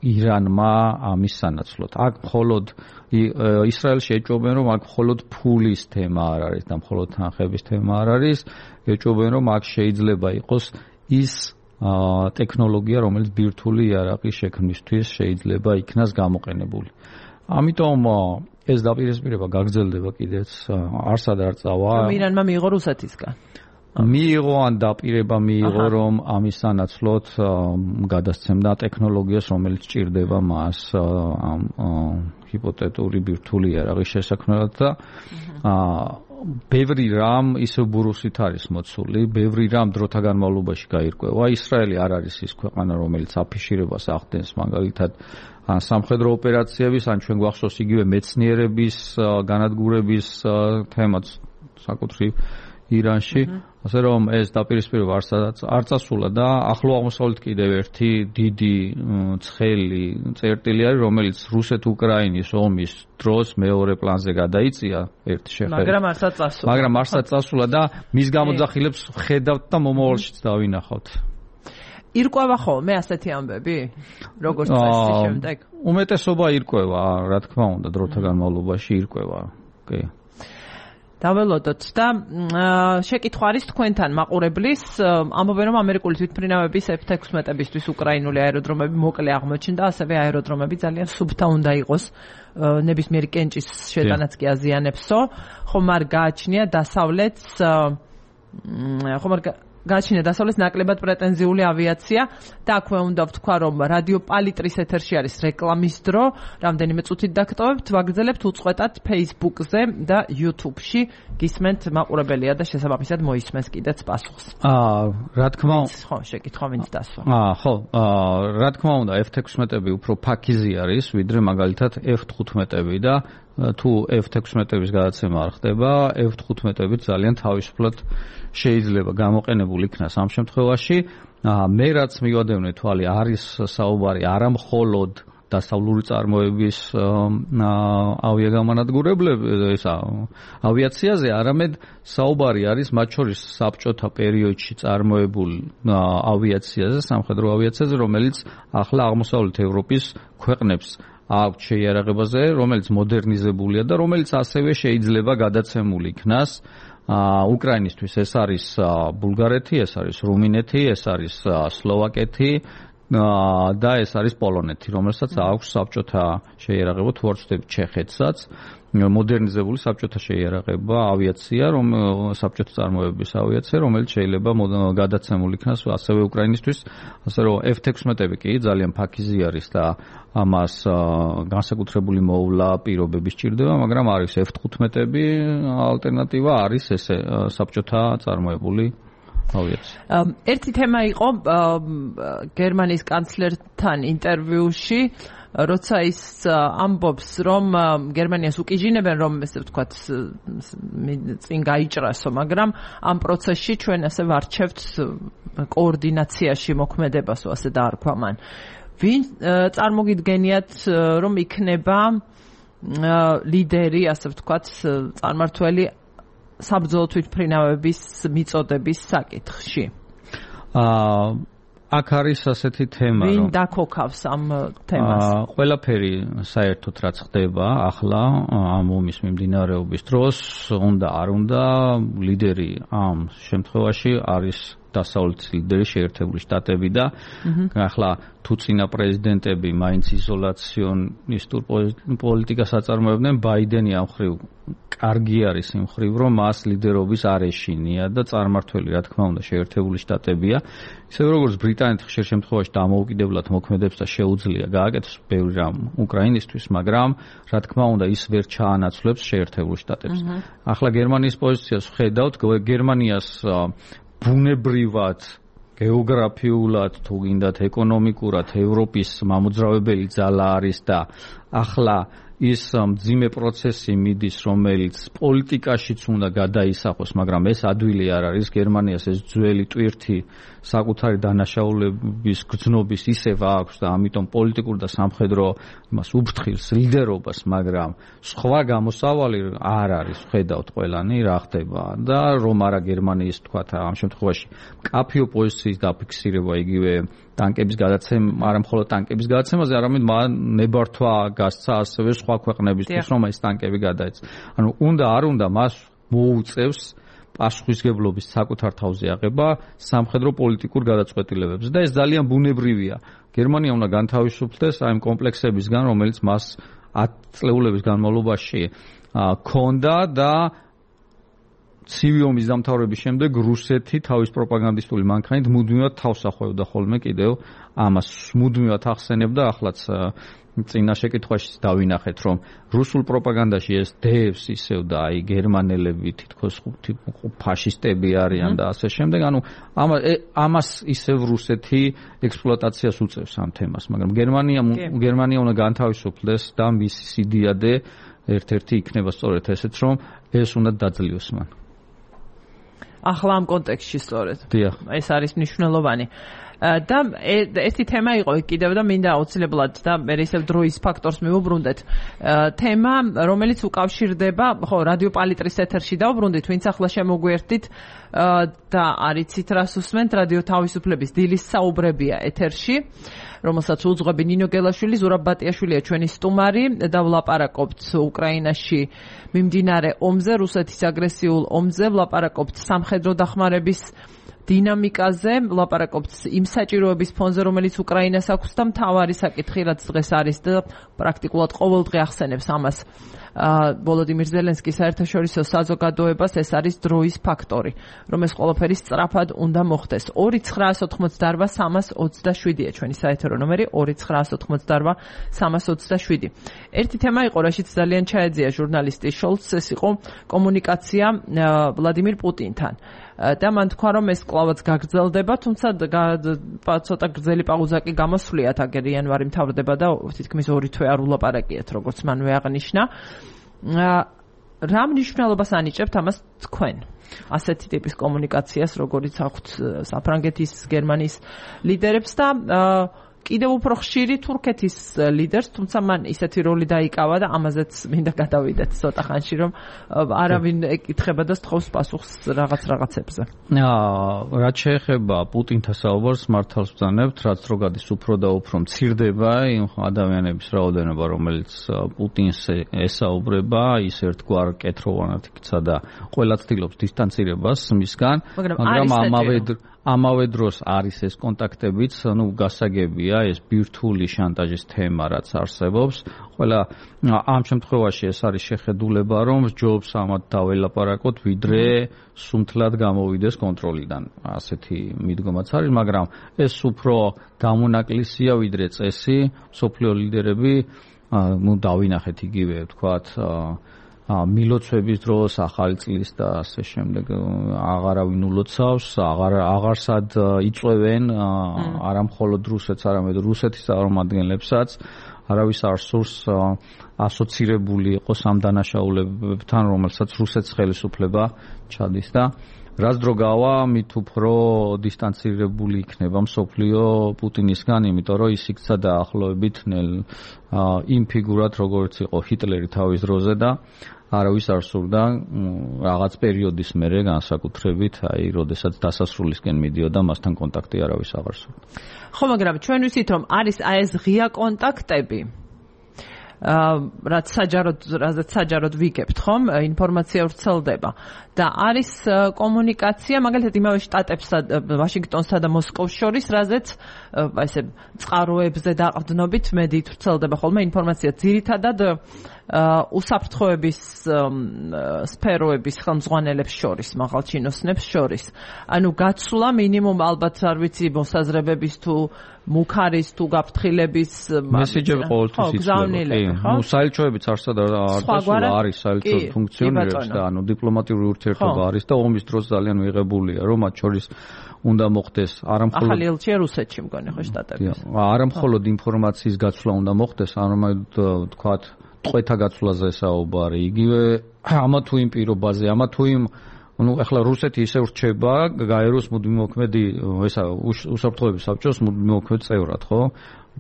ირანმა ამის სანაცვლოდ. აქ მხოლოდ ისრაელში ეჭვობენ, რომ აქ მხოლოდ ფულის თემა არ არის და მხოლოდ თანხების თემა არ არის, ეჭვობენ, რომ აქ შეიძლება იყოს ის აა ტექნოლოგია, რომელიც ბირთვული იარაღის შექმნისთვის შეიძლება იქნას გამოყენებული. ამიტომ ეს დაპირისპირება გაგრძელდება კიდეც, არსად არ წავა. ირანმა მიიღო რუსეთისგან. მიიღო ან დაპირება მიიღო, რომ ამის სანაცვლოდ გადასცემდა ტექნოლოგიას, რომელიც ჭირდება მას ამ ჰიპოთეტური ბირთვული იარაღის შესაქმნელად და აა ბევრი რამ ისევ ბურუსით არის მოცული, ბევრი რამ დროთა განმავლობაში გაირკვევა. ისრაელი არ არის ის ქვეყანა, რომელიც აფიშირებას ახდენს, მაგალითად, ან სამხედრო ოპერაციების, ან ჩვენ გვახსოვს იგივე მეცნიერების, განადგურების თემაც საკუთრივ ირანში, ასე რომ ეს დაპირისპირება არ წასულა და ახლო აღმოსავლეთ კიდევ ერთი დიდი ცხელი წერტილი არის, რომელიც რუსეთ-უკრაინის ომის დროს მეორე პლანზე გადაიწია ერთი შეხედვით. მაგრამ არსად წასულა. მაგრამ არსად წასულა და მის გამოძახილებს ხედავთ და მომავალშიც დავინახავთ. ირკვევა ხოლმე ასეთი ამბები? როგორც წესი შემდეგ? უმეტესობა ირკვევა, რა თქმა უნდა, დროთა განმავლობაში ირკვევა. კი. დაველოდოთ და შეკითხვა არის თქვენთან მაყურებლის, ამბობენ, რომ ამერიკული თვითმფრინავების ეფ ექვსმეტებისთვის უკრაინული აეროდრომები მოკლე აღმოჩნდა, ასევე აეროდრომები ძალიან სუფთა უნდა იყოს, ნებისმიერი კენჭის შეტანაც კი აზიანებსო, ხომ არ გააჩნია დასავლეთს, ხომ არ გააჩნია დასავლეთს ნაკლებად პრეტენზიული ავიაცია და აქვე უნდა ვთქვა, რომ რადიო პალიტრის ეთერში არის რეკლამის დრო, რამდენიმე წუთით დაგტოვებთ, ვაგრძელებთ უწყვეტად Facebook-ზე და YouTube-ში, გისმენთ მაყურებელია და შესაბამისად მოისმენს კიდეც პასუხს. აა, რა თქმა უნდა, ხო, შეკითხვა ვინც დასვა. აა, ხო, აა, რა თქმა უნდა, ეფ ექვსმეტები უფრო ფაქიზი არის, ვიდრე მაგალითად ეფ თხუთმეტები და თუ ეფ ექვსმეტების გადაცემა არ ხდება, ეფ თხუთმეტები ძალიან თავისუფლად შეიძლება გამოყენებული იქნას ამ შემთხვევაში. მე რაც მივადევნე თვალი, არის საუბარი არა მხოლოდ დასავლური წარმოების ავიაგამანადგურებლების ავიაციაზე, არამედ საუბარი არის მათ შორის საბჭოთა პერიოდში წარმოებულ ავიაციაზე, სამხედრო ავიაციაზე, რომელიც ახლა აღმოსავლეთ ევროპის ქვეყნებს აქვს შეიარაღებაზე, რომელიც მოდერნიზებულია და რომელიც ასევე შეიძლება გადაცემული იქნას უკრაინისთვის. ეს არის ბულგარეთი, ეს არის რუმინეთი, ეს არის სლოვაკეთი და ეს არის პოლონეთი, რომელსაც აქვს საბჭოთა შეიარაღება, თუ არ ვცდები ჩეხეთსაც, მოდერნიზებული საბჭოთა შეიარაღება, ავიაცია, რომ საბჭოთა წარმოების ავიაცია, რომელიც შეიძლება გადაცემული იქნას ასევე უკრაინისთვის, ასე რომ ეფ თექვსმეტები კი ძალიან ფაქიზი არის და ამას განსაკუთრებული მოვლა პირობები სჭირდება, მაგრამ არის ეფ თხუთმეტები, ალტერნატივა არის ესე საბჭოთა წარმოებული ავიაცია. ერთი თემა იყო გერმანიის კანცლერთან ინტერვიუში, როცა ის ამბობს, რომ გერმანიას უკიჟინებენ, რომ ესე ვთქვათ, წინ გაიჭრასო, მაგრამ ამ პროცესში ჩვენ ასე ვარჩევთ კოორდინაციაში მოქმედებასო, ასე დაარქვა მან. ვინ წარმოგიდგენიათ, რომ იქნება ლიდერი, ასე ვთქვათ, წარმართველი საბრძოლო თვითმფრინავების მიწოდების საკითხში? აა აქ არის ასეთი თემა, რომ ვინ დაქოქავს ამ თემას? ყველაფერი საერთოდ რაც ხდება ახლა ამ ომის მიმდინარეობის დროს, უნდა არ უნდა, ლიდერი ამ შემთხვევაში არის დასავლეთის ლიდერი შეერთებული შტატები და ახლა თუ წინა პრეზიდენტები მაინც იზოლაციონისტურ პოლიტიკას აწარმოებდნენ, ბაიდენი ამ მხრივ კარგი არის იმ მხრივ, რომ მას ლიდერობის არ ეშინია და წარმართველი, რა თქმა უნდა, შეერთებული შტატებია. ისე როგორც ბრიტანეთი ხშირ შემთხვევაში დამოუკიდებლად მოქმედებს და შეუძლია გააკეთოს ბევრი რამ უკრაინისთვის, მაგრამ რა თქმა უნდა, ის ვერ ჩაანაცვლებს შეერთებულ შტატებს. ახლა გერმანიის პოზიციას ვხედავთ, გერმანიას ბუნებრივად, გეოგრაფიულად, თუ გინდათ ეკონომიკურად ევროპის მამოძრავებელი ძალა არის და ახლა ის მძიმე პროცესი მიდის, რომელიც პოლიტიკაშიც უნდა გადაისახოს, მაგრამ ეს ადვილი არ არის. გერმანიას ეს ძველი ტვირთი საკუთარი დანაშაულების გრძნობის ისევ აქვს და ამიტომ პოლიტიკურ და სამხედრო იმას უფრთხილს ლიდერობას, მაგრამ სხვა გამოსავალი არ არის. ხედავთ ყველანი რა ხდება და რომ არა გერმანიის თქვა ამ შემთხვევაში მკაფიო პოზიციის დაფიქსირება იგივე ტანკების გადაცემა, არა მხოლოდ ტანკების გადაცემაზე, არამედ ნებართვა გასცა ასევე სხვა ქვეყნებისთვის, რომ ეს ტანკები გადაეცა. ანუ უნდა არ უნდა მას მოუწევს პასუხისგებლობის საკუთარ თავზე აღება სამხედრო პოლიტიკურ გადაწყვეტილებებზე და ეს ძალიან ბუნებრივია. გერმანია უნდა განთავისუფლდეს აი ამ კომპლექსებისგან, რომელიც მას ათი წლეულების განმავლობაში ჰქონდა და ცივი ომის დამთავრების შემდეგ რუსეთი თავის პროპაგანდისტული მანქანით მუდმივად თავს ახვევდა ხოლმე კიდევ ამას მუდმივად ახსენებდა. ახლაც წინა შეკითხვაში დავინახეთ, რომ რუსულ პროპაგანდაში ეს დევს ისევ და აი გერმანელები თითქოს ფაშისტები არიან და ასე შემდეგ. ანუ ამას ისევ რუსეთი ექსპლუატაციას უწევს ამ თემას, მაგრამ გერმანია გერმანია უნდა განთავისუფლდეს და მისი სიდიადე ერთ-ერთი იქნება სწორედ ესეც, რომ ეს უნდა დაძლიოს მან. ახლა ამ კონტექსტში სწორედ. დიახ. ეს არის მნიშვნელოვანი. და ერთი თემა იყო კიდევ და მინდა აუცილებლად და მე ისევ დროის ფაქტორს მივუბრუნდეთ. თემა, რომელიც უკავშირდება, ხო, რადიო პალიტრის ეთერში დავუბრუნდით, ვინც ახლა შემოგვიერთდით და არიცით რას უსმენთ, რადიო თავისუფლების დილის საუბრებია ეთერში, რომელსაც უძღვები ნინო გელაშვილი, ზურაბ ბატიაშვილია ჩვენი სტუმარი და ვლაპარაკობთ უკრაინაში მიმდინარე ომზე, რუსეთის აგრესიულ ომზე, ვლაპარაკობთ სამხედრო დახმარების დინამიკაზე, ვლაპარაკობთ იმ საჭიროების ფონზე, რომელიც უკრაინას აქვს და მთავარი საკითხი, რაც დღეს არის და პრაქტიკულად ყოველდღე ახსენებს ამას ვოლოდიმირ ზელენსკის საერთაშორისო საზოგადოებას, ეს არის დროის ფაქტორი, რომ ეს ყველაფერი სწრაფად უნდა მოხდეს. ორი ცხრაას ოთხმოცდაორვა სამას ოცდაშვიდია ჩვენი საეთერო ნომერი, ორი ცხრაას ოთხმოცდაორვა სამას ოცდაშვიდი. ერთი თემა იყო, რაშიც ძალიან ჩაეძია ჟურნალისტი შოლცს, ეს იყო კომუნიკაცია ვლადიმირ პუტინთან. და მან თქვა, რომ ეს კლავაც გაგრძელდება, თუმცა ცოტა გრძელი პაუზა კი გამოსვლიათ, აგერ იანვარი მთავრდება და თითქმის ორი თვე არ ულაპარაკიათ, როგორც მანვე აღნიშნა. რა მნიშვნელობას ანიჭებთ ამას თქვენ? ასეთი ტიპის კომუნიკაციას, როგორიც აქვთ საფრანგეთის, გერმანიის ლიდერებს და კიდევ უფრო ხშირი თურქეთის ლიდერს, თუმცა მან ისეთი როლი დაიკავა და ამაზეც მინდა გადავიდეთ ცოტა ხანში, რომ არავინ ეკითხება და სთხოვს პასუხს რაღაც რაღაცებზე. რაც შეეხება პუტინთან საუბარს, მართალს ვძანებთ, რაც რო გადის უფრო და უფრო მცირდება იმ ადამიანების რაოდენობა, რომელიც პუტინს ესაუბრება, ის ერთგვარ კეთროვანად იქცა და ყველა ცდილობს დისტანცირებას მისგან, მაგრამ ამავე ამავე დროს არის ეს კონტაქტებიც, ну, გასაგებია ეს ბირთვული შანტაჟის თემა, რაც არსებობს. ყველა ამ შემთხვევაში ეს არის შეხედულება, რომ ჯობს ამათ დაველაპარაკოთ, ვიდრე სუნთლად გამოვიდეს კონტროლიდან. ასეთი მიდგომაც არის, მაგრამ ეს უფრო დამონაკლისია, ვიდრე წესი. სოფლიო ლიდერები, ну, დავინახეთ იგივე, ვთქვათ, მილოცვების დროს, ახალი წლის და ასე შემდეგ აღარავინ ულოცავს, აღარ აღარსად იწვევენ არა მხოლოდ რუსეთს, არამედ რუსეთის წარმომადგენლებსაც. არავის არ სურს ასოცირებული იყოს ამ დანაშაულებებთან, რომელსაც რუსეთს ხელისუფლება ჩადის და რაც დრო გავა, მით უფრო დისტანცირებული იქნება მსოფლიო პუტინისგან, იმიტომ რომ ის იქცა დაახლოებით ნელ იმ ფიგურად, როგორც იყო ჰიტლერი თავის დროზე და არავის არ სურდა რაღაც პერიოდის მერე განსაკუთრებით, აი, როდესაც დასასრულისკენ მიდიოდა, მასთან კონტაქტი არავის აღარ სურდა. ხო, მაგრამ ჩვენ ვიცით, რომ არის აი ეს ღია კონტაქტები, რაც საჯაროდ, რაც საჯაროდ ვიგებთ, ხომ? ინფორმაცია ვრცელდება და არის კომუნიკაცია, მაგალითად, იმავე შტატებსა, ვაშინგტონსა და მოსკოვს შორის, რაზეც აი ესე წყაროებზე დაყრდნობით მედიით ვრცელდება ხოლმე ინფორმაცია, ძირითადად უსაფრთხოების სფეროების ხელმძღვანელებს შორის, მაღალჩინოსნებს შორის. ანუ გაცვლა მინიმუმ ალბათ არ ვიცი მოსაზრებების თუ მუქარის თუ გაფრთხილების მესიჯები ყოველთვის იცვლება. ნუ საელჩოებიც არსად არ არის საელჩო ფუნქციონირებს და ანუ დიპლომატიური ურთიერთობა არის და ომის დროს ძალიან მიღებულია, რომ მათ შორის უნდა მოხდეს არამხოლოდ ახალი ელჩია რუსეთში მგონი ხო შტატების. არამხოლოდ ინფორმაციის გაცვლა უნდა მოხდეს, არამედ თქვათ ტყვეთა გაცვლაზე საუბარი, იგივე ამა თუ იმ პირობაზე, ამა თუ იმ, ну, ახლა რუსეთი ისე ვრჩება გაეროს მუდმივმოქმედი, ესა უსაფრთხოების საბჭოს მუდმივმოქმედ წევრად, ხო?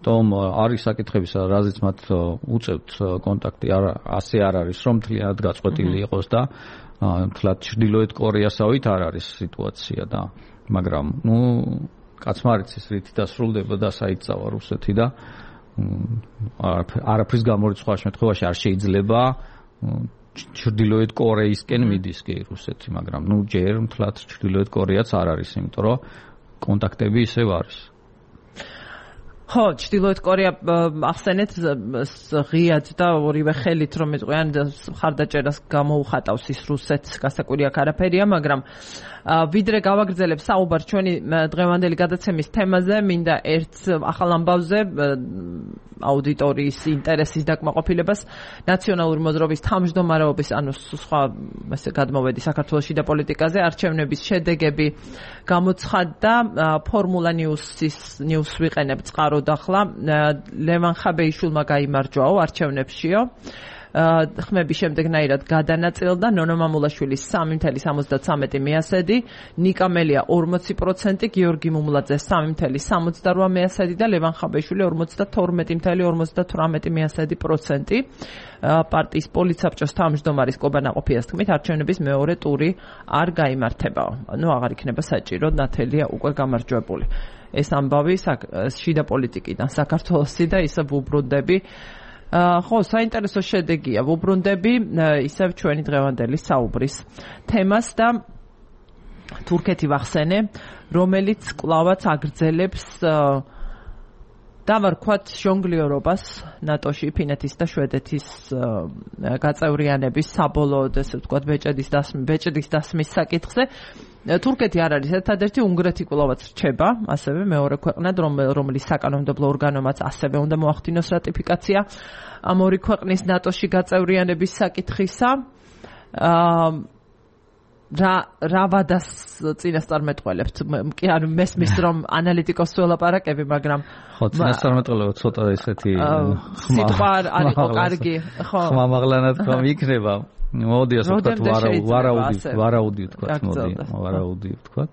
თუმ არის საკითხები, რაზეც მათ უწევთ კონტაქტი, ასე არ არის, რომ მთლიანად გაწყვეტილი იყოს და თლათ ჩრდილოეთ კორეასავით არ არის სიტუაცია და მაგრამ, ну, კაცმა არ იცის რითი დასრულდება და საით წავა რუსეთი და არაფრის გამორიცხვა შემთხვევაში არ შეიძლება ჩრდილოეთ კორეისკენ მიდის კი რუსეთი, მაგრამ ნუ ჯერ მთლად ჩრდილოეთ კორეაც არ არის, იმიტომ რომ კონტაქტები ისევ არის. ხო, ჩრდილოეთ კორეა ახსენეთ ღიად და ორივე ხელით რომ იყვიან ხარდაჭერას გამოუხატავს ის რუსეთს, გასაკვირი აქ არაფერია, მაგრამ ვიდრე გავაგრძელებ საუბარ ჩვენი დღევანდელი გადაცემის თემაზე, მინდა ერთ ახალ ამბავზე აუდიტორიის ინტერესის დაკმაყოფილებას ნაციონალური მოძრაობის თავმჯდომარეობის, ანუ სხვა ესე გადმოვედი საქართველოს შიდა პოლიტიკაზე, არჩევნების შედეგები გამოცხადდა, ფორმულა ნიუსის ნიუს ვიყენებ წყაროდ ახლა, ლევან ხაბეიშვილმა გაიმარჯვაო არჩევნებშიო. ხმების შემდეგნაირად გადანაწილდა ნონო მამულაშვილის სამი წუთი სამოცდათრამეტი მიასედი, ნიკა მელია ორმოცი პროცენტი, გიორგი მუმლაძე სამი წუთი სამოცდარვა მიასედი და ლევან ხაბეიშვილი ორმოცდათორმეტი წუთი ორმოცდათვრამეტი მიასედი პროცენტი. პარტიის პოლიცსაბჭოს თავმჯდომარის კობა ნაყოფიას თქმით, არჩევნების მეორე ტური არ გაიმართებაო. ნუ აღარ იქნება საჭირო, ნათელია უკვე გამარჯვებული. ეს ამბავი შიდა პოლიტიკიდან საქართველოსი და ისე ვუბრუნდები. ხო, საინტერესო შედეგია, ვუბრუნდები ისევ ჩვენი დღევანდელი საუბრის თემას და თურქეთი ვახსენე, რომელიც კვლავაც აგრძელებს დავარქვათ ჟონგლიორობას ნატოში, ფინეთის და შვედეთის გაწევრიანების საბოლოოდ, ესე ვთქვათ, ბეჭედის დასმის, ბეჭედის დასმის საკითხზე. თურქეთი არ არის ერთადერთი, უნგრეთი კვლავაც რჩება, ასევე მეორე ქვეყნად, რომლის საკანონმდებლო ორგანომაც ასევე უნდა მოახდინოს რატიფიკაცია ამ ორი ქვეყნის ნატოში გაწევრიანების საკითხისა. რა რა ვადას წინასწარმეტყველებთ? კი არ მესმის რომ ანალიტიკოს ველაპარაკები, მაგრამ ხო, წინასწარმეტყველება ცოტა ესეთი სიტყვა არ იყო კარგი, ხო. ხმამაღლანად რომ იქნება. მოდი ასე ვთქვათ, ვარაუდი, ვარაუდი ვთქვათ, მოდი, ვარაუდი ვთქვათ.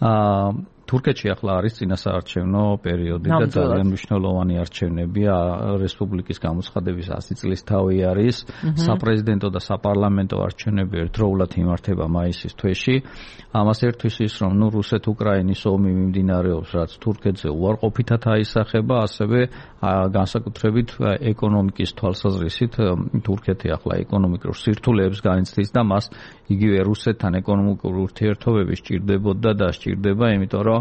აა თურქეთში ახლა არის წინასაარჩევნო პერიოდი და ძალიან მნიშვნელოვანი არჩევნებია რესპუბლიკის გამოცხადების ასი წლის თავი არის საპრეზიდენტო და საპარლამენტო არჩევნები ერთდროულად იმართება მაისის თვეში ამას ერთვის ის რომ ნუ რუსეთ-უკრაინის ომი მიმდინარეობს რაც თურქეთზე უარყოფითად აისახება ასევე განსაკუთრებით ეკონომიკის თვალსაზრისით თურქეთი ახლა ეკონომიკურ სირთულეებს განიცდის და მას იგივე რუსეთთან ეკონომიკური ურთიერთობები სჭირდებოდა და სჭირდება იმიტომ რომ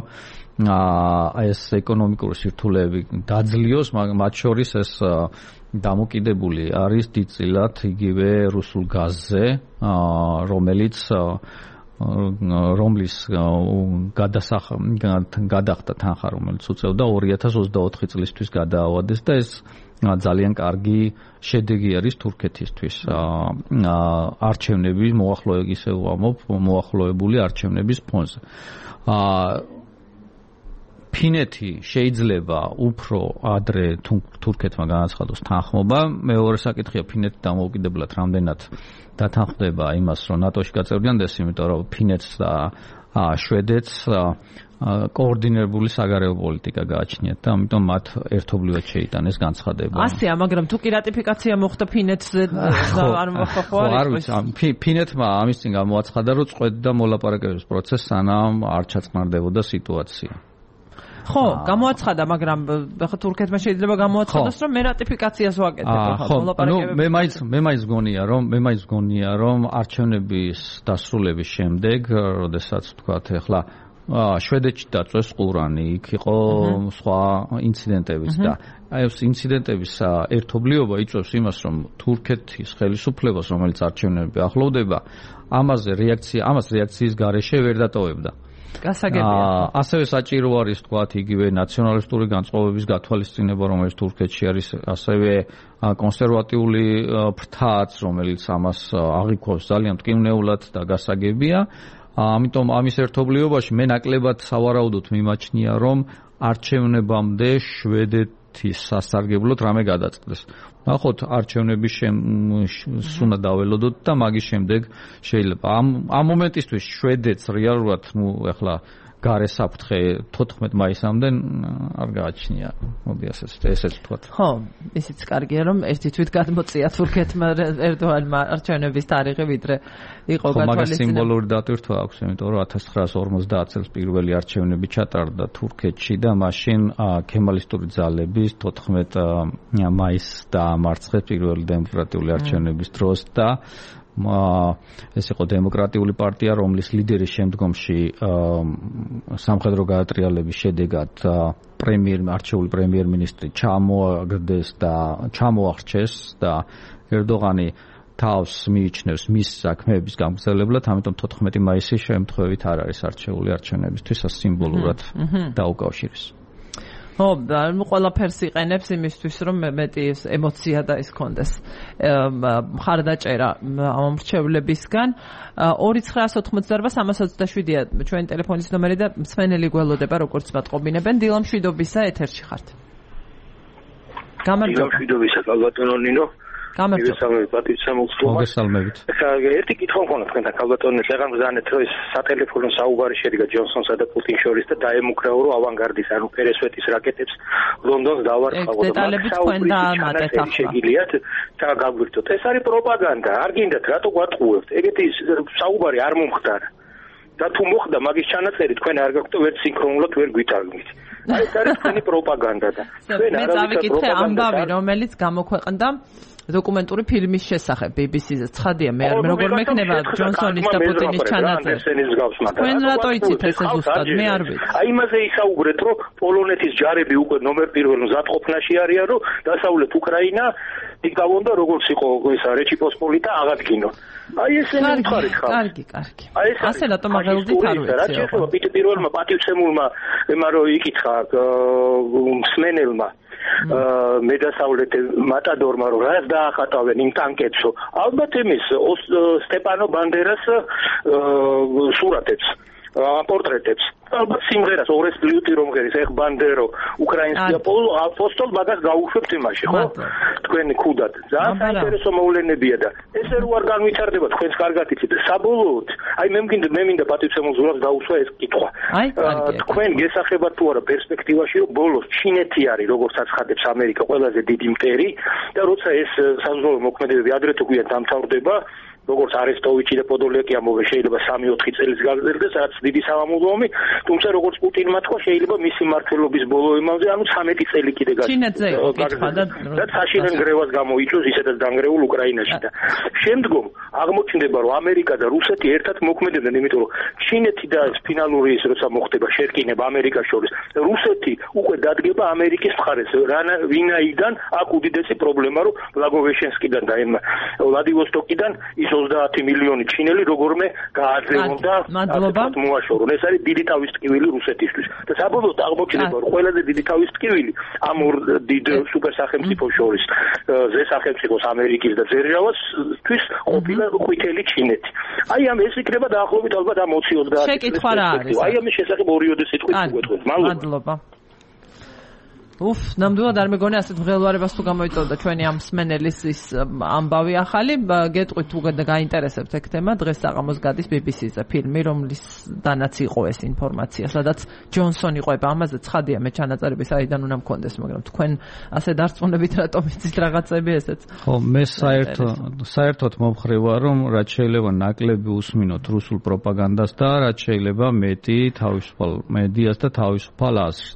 ეს ეკონომიკური სირთულეები დაძლიოს მათ შორის ეს დამოკიდებული არის დიდწილად იგივე რუსულ გაზზე რომელიც რომლის გადახდა თანხა რომელიც უწევდა ორი ათას ოცდაოთხი წლისთვის გადაავადეს და ეს ძალიან კარგი შედეგი არის თურქეთისთვის არჩევნების მოახლოების ისე ვამობ მოახლოებული არჩევნების ფონზე ფინეთი შეიძლება უფრო ადრე თურქეთმა განაცხადოს თანხმობა მეორე საკითხია ფინეთი დამოუკიდებლად რამდენად დათანხმდება იმას რომ ნატოში გაწევრიანდეს იმიტომ რომ ფინეთს და შვედეთს კოორდინირებული საგარეო პოლიტიკა გააჩნიათ და ამიტომ მათ ერთობლივად შეიტანეს განცხადება. ასეა, მაგრამ თუ კი რატიფიკაცია მოხდა ფინეთზე არ მოხდა ხო არის? ფინეთმა ამის წინ გამოაცხადა რომ წვედა მოლაპარაკების პროცესს სანამ არ ჩაწყნარდებოდა სიტუაცია. ხო, გამოაცხადა, მაგრამ ხა თურქეთმა შეიძლება გამოაცხადოს რომ მე რატიფიკაციას ვაკეთებ ხო მოლაპარაკებებს. მე მაინც მე მაინც გონია რომ მე მაინც გონია რომ არჩევნების დასრულების შემდეგ, როდესაც თქვათ ეხლა შვედეთში დაწვეს ყურანი, იქ იყო სხვა ინციდენტებიც და აი ეს ინციდენტების ერთობლიობა იწვევს იმას, რომ თურქეთის ხელისუფლებას, რომელიც არჩევნები ახლოვდება, ამაზე რეაქცია, ამას რეაქციის გარეშე ვერ დატოვებდა. გასაგებია. ასევე საჭირო არის თქვათ იგივე ნაციონალისტური განწყობების გათვალისწინება, რომელიც თურქეთში არის, ასევე კონსერვატიული ფრთაც, რომელიც ამას აღიქვავს ძალიან მტკივნეულად და გასაგებია. ამიტომ ამის ერთობლიობაში მე ნაკლებად სავარაუდოდ მიმაჩნია, რომ არჩევნებამდე შვედეთის სასარგებლოდ რამე გადაწყდეს. ნახოთ არჩევნების უნდა დაველოდოთ და მაგის შემდეგ შეიძლება ამ ამ მომენტისთვის შვედეთს რეალურად ნუ ეხლა გარე საფრთხე თოთხმეტ მაისამდე არ გააჩნია. მოდი ასეც ესეც ვთქვათ. ხო, ისიც კარგია რომ ერთი თვით გადმოწია თურქეთმა ერდოანმა არჩევნების თარიღი ვიდრე იყო გათვალისწინებული. მაგას სიმბოლური დატვირთვა აქვს, იმიტომ რომ ათას ცხრაასი ორმოცდაათ წელს პირველი არჩევნები ჩატარდა თურქეთში და მაშინ ქემალისტური ძალების თოთხმეტ მაისს დაამარცხეს პირველი დემოკრატიული არჩევნების დროს და ეს იყო დემოკრატიული პარტია, რომლის ლიდერი შემდგომში სამხედრო გადატრიალების შედეგად პრემიერ არჩეული პრემიერ-მინისტრი ჩამოაგდეს და ჩამოარჩეს და ერდოღანი თავს მიიჩნევს მის საქმეების გამგზავრებლად, ამიტომ თოთხმეტი მაისის შემთხვევით არ არის არჩეული არჩევნებისთვის სიმბოლურად დაუკავშირეს. ხო, ნუ ყველაფერს იყენებს იმისთვის, რომ მეტი ემოცია და ის კონდეს. მხარდაჭერა ამ მრჩევლებისგან ორი ცხრაასი ოცდაოთხი სამას ოცდაშვიდია ჩვენი ტელეფონის ნომერი და მსმენელი გველოდება, როგორც მათყობინებენ. დილა მშვიდობისა, ეთერში ხართ. გამარჯობა. დილა მშვიდობისა, ბატონო ნინო. გამარჯობა. მოგესალმებით. ერთი კითხვა მქონდა თქვენთან ქალბატონო, შეგან ბრძანეთ რომ ეს სატელეფონო საუბარი შედგა ჯონსონსა და პუტინის შორის და დაემუქრაო რომ ავანგარდის, ანუ პერესვეტის რაკეტებს ლონდონს დავარცხავდა. დეტალები თქვენ დაამატეთ ახლა. შეგიძლიათ და გაგვირთოთ. ეს არის პროპაგანდა. არ გინდათ რატო გვატყუებთ? ეგეთი საუბარი არ მომხდარა. და თუ მოხდა მაგის ჩანაწერი თქვენ არ გაქვთ ვერ სინქრონულად ვერ გვითარგმნით. აი ეს არის თქვენი პროპაგანდა და თქვენ არ ავიკითხე ამბავი რომელიც გამოქვეყნდა დოკუმენტური ფილმის შესახებ ბი ბი სი-ზე. ცხადია, მე არ როგორ მექნება ჯონსონის და პუტინის ჩანაწერი. თქვენ რატო იცით ესე ზუსტად? მე არ ვიცი. აი იმაზე ისაუბრეთ, რომ პოლონეთის ჯარები უკვე ნომერ პირველ მზადყოფნაში არიან, რომ დასავლეთ უკრაინა იკავონ და როგორც იყო ისა რეჩი პოსპოლიტა აღადგინონ. აი ესენი უთხარით ხარ. კარგი, კარგი. ასე რატომ აღელვდით არ ვიცი. რაც შეეხება პირველმა პატივცემულმა ემარო იკითხა მსმენელმა მედასავლეთ მატადორმა რომ რას დაახატავენ იმ ტანკებსო. ალბათ იმის სტეპანო ბანდერას სურათებს. პორტრეტებს. ალბათ სიმღერას ორეს პლიუტი რომ ღერის ეხ ბანდერო უკრაინსკი აპოსტოლ მაგას გაუშვებთ იმაში ხო თქვენი ქუდად ძალიან საინტერესო მოვლენებია და ესე რო არ განვითარდება თქვენს კარგად იცით საბოლოოდ აი მე მინდა მე მინდა პატივცემულ ზურაბს დაუსვა ეს კითხვა თქვენ გესახებათ თუ არა პერსპექტივაში რომ ბოლოს ჩინეთი არის როგორც აცხადებს ამერიკა ყველაზე დიდი მტერი და როცა ეს საზღვაო მოქმედებები ადრე თუ გვიან დამთავრდება როგორც არესტოვიჩი და პოდოლეკი ამოვე შეიძლება სამი ოთხი წელს გაგრძელდეს რაც დიდი სამამულო ომი თუმცა როგორც პუტინმა თქვა შეიძლება მისი მმართველობის ბოლო ემალზე ანუ ცამეტი წელი კიდე გაგრძელდეს და საშინელ გრევას გამოიწვევს ისედაც დანგრეულ უკრაინაში და შემდგომ აღმოჩნდება რომ ამერიკა და რუსეთი ერთად მოქმედებდნენ იმიტომ რომ ჩინეთი და ფინალური ის როცა მოხდება შერკინება ამერიკას შორის რუსეთი უკვე დადგება ამერიკის მხარეს ვინაიდან აქ უდიდესი პრობლემა რომ ბლაგოვეშენსკიდან და ვლადივოსტოკიდან ის ოცდაათი მილიონი ჩინელი როგორმე გააძლევდა ასეთ მოაშორონ ეს არის დიდი თავის ტკივილი რუსეთისთვის და საბოლოოდ აღმოჩნდება რომ ყველაზე დიდი თავის ტკივილი ამ ორ დიდ სუპერ სახელმწიფოს შორის ზე სახელმწიფოს ამერიკის და ძერჟავასთვის ყოფილა ყვითელი ჩინეთი აი ამ ეს იქნება დაახლოებით ალბათ ამ ოცი ოცდაათი შეკითხვა რა არის აი ამის შესახებ ორიოდე სიტყვით უგვეთქვით მადლობა უფ, ნამდვილად არ მეგონი ასეთ მღელვარებას თუ გამოიწვევდა ჩვენი ამ მსმენელის ის ამბავი ახალი, გეტყვით თუ გაინტერესებთ ეგ თემა, დღეს საღამოს გადის ბი ბი სი-ზე ფილმი, რომლის დანაც იყო ეს ინფორმაცია, სადაც ჯონსონი ყვება ამაზე ცხადია მე ჩანაწერები საიდან უნდა მქონდეს, მაგრამ თქვენ ასე დარწმუნებით რატომ იცით რაღაცები ესეც? ხო, მე საერთოდ საერთოდ მომხრე ვარ, რომ რაც შეიძლება ნაკლები უსმინოთ რუსულ პროპაგანდას და რაც შეიძლება მეტი თავისუფალ მედიას და თავისუფალ აზრს.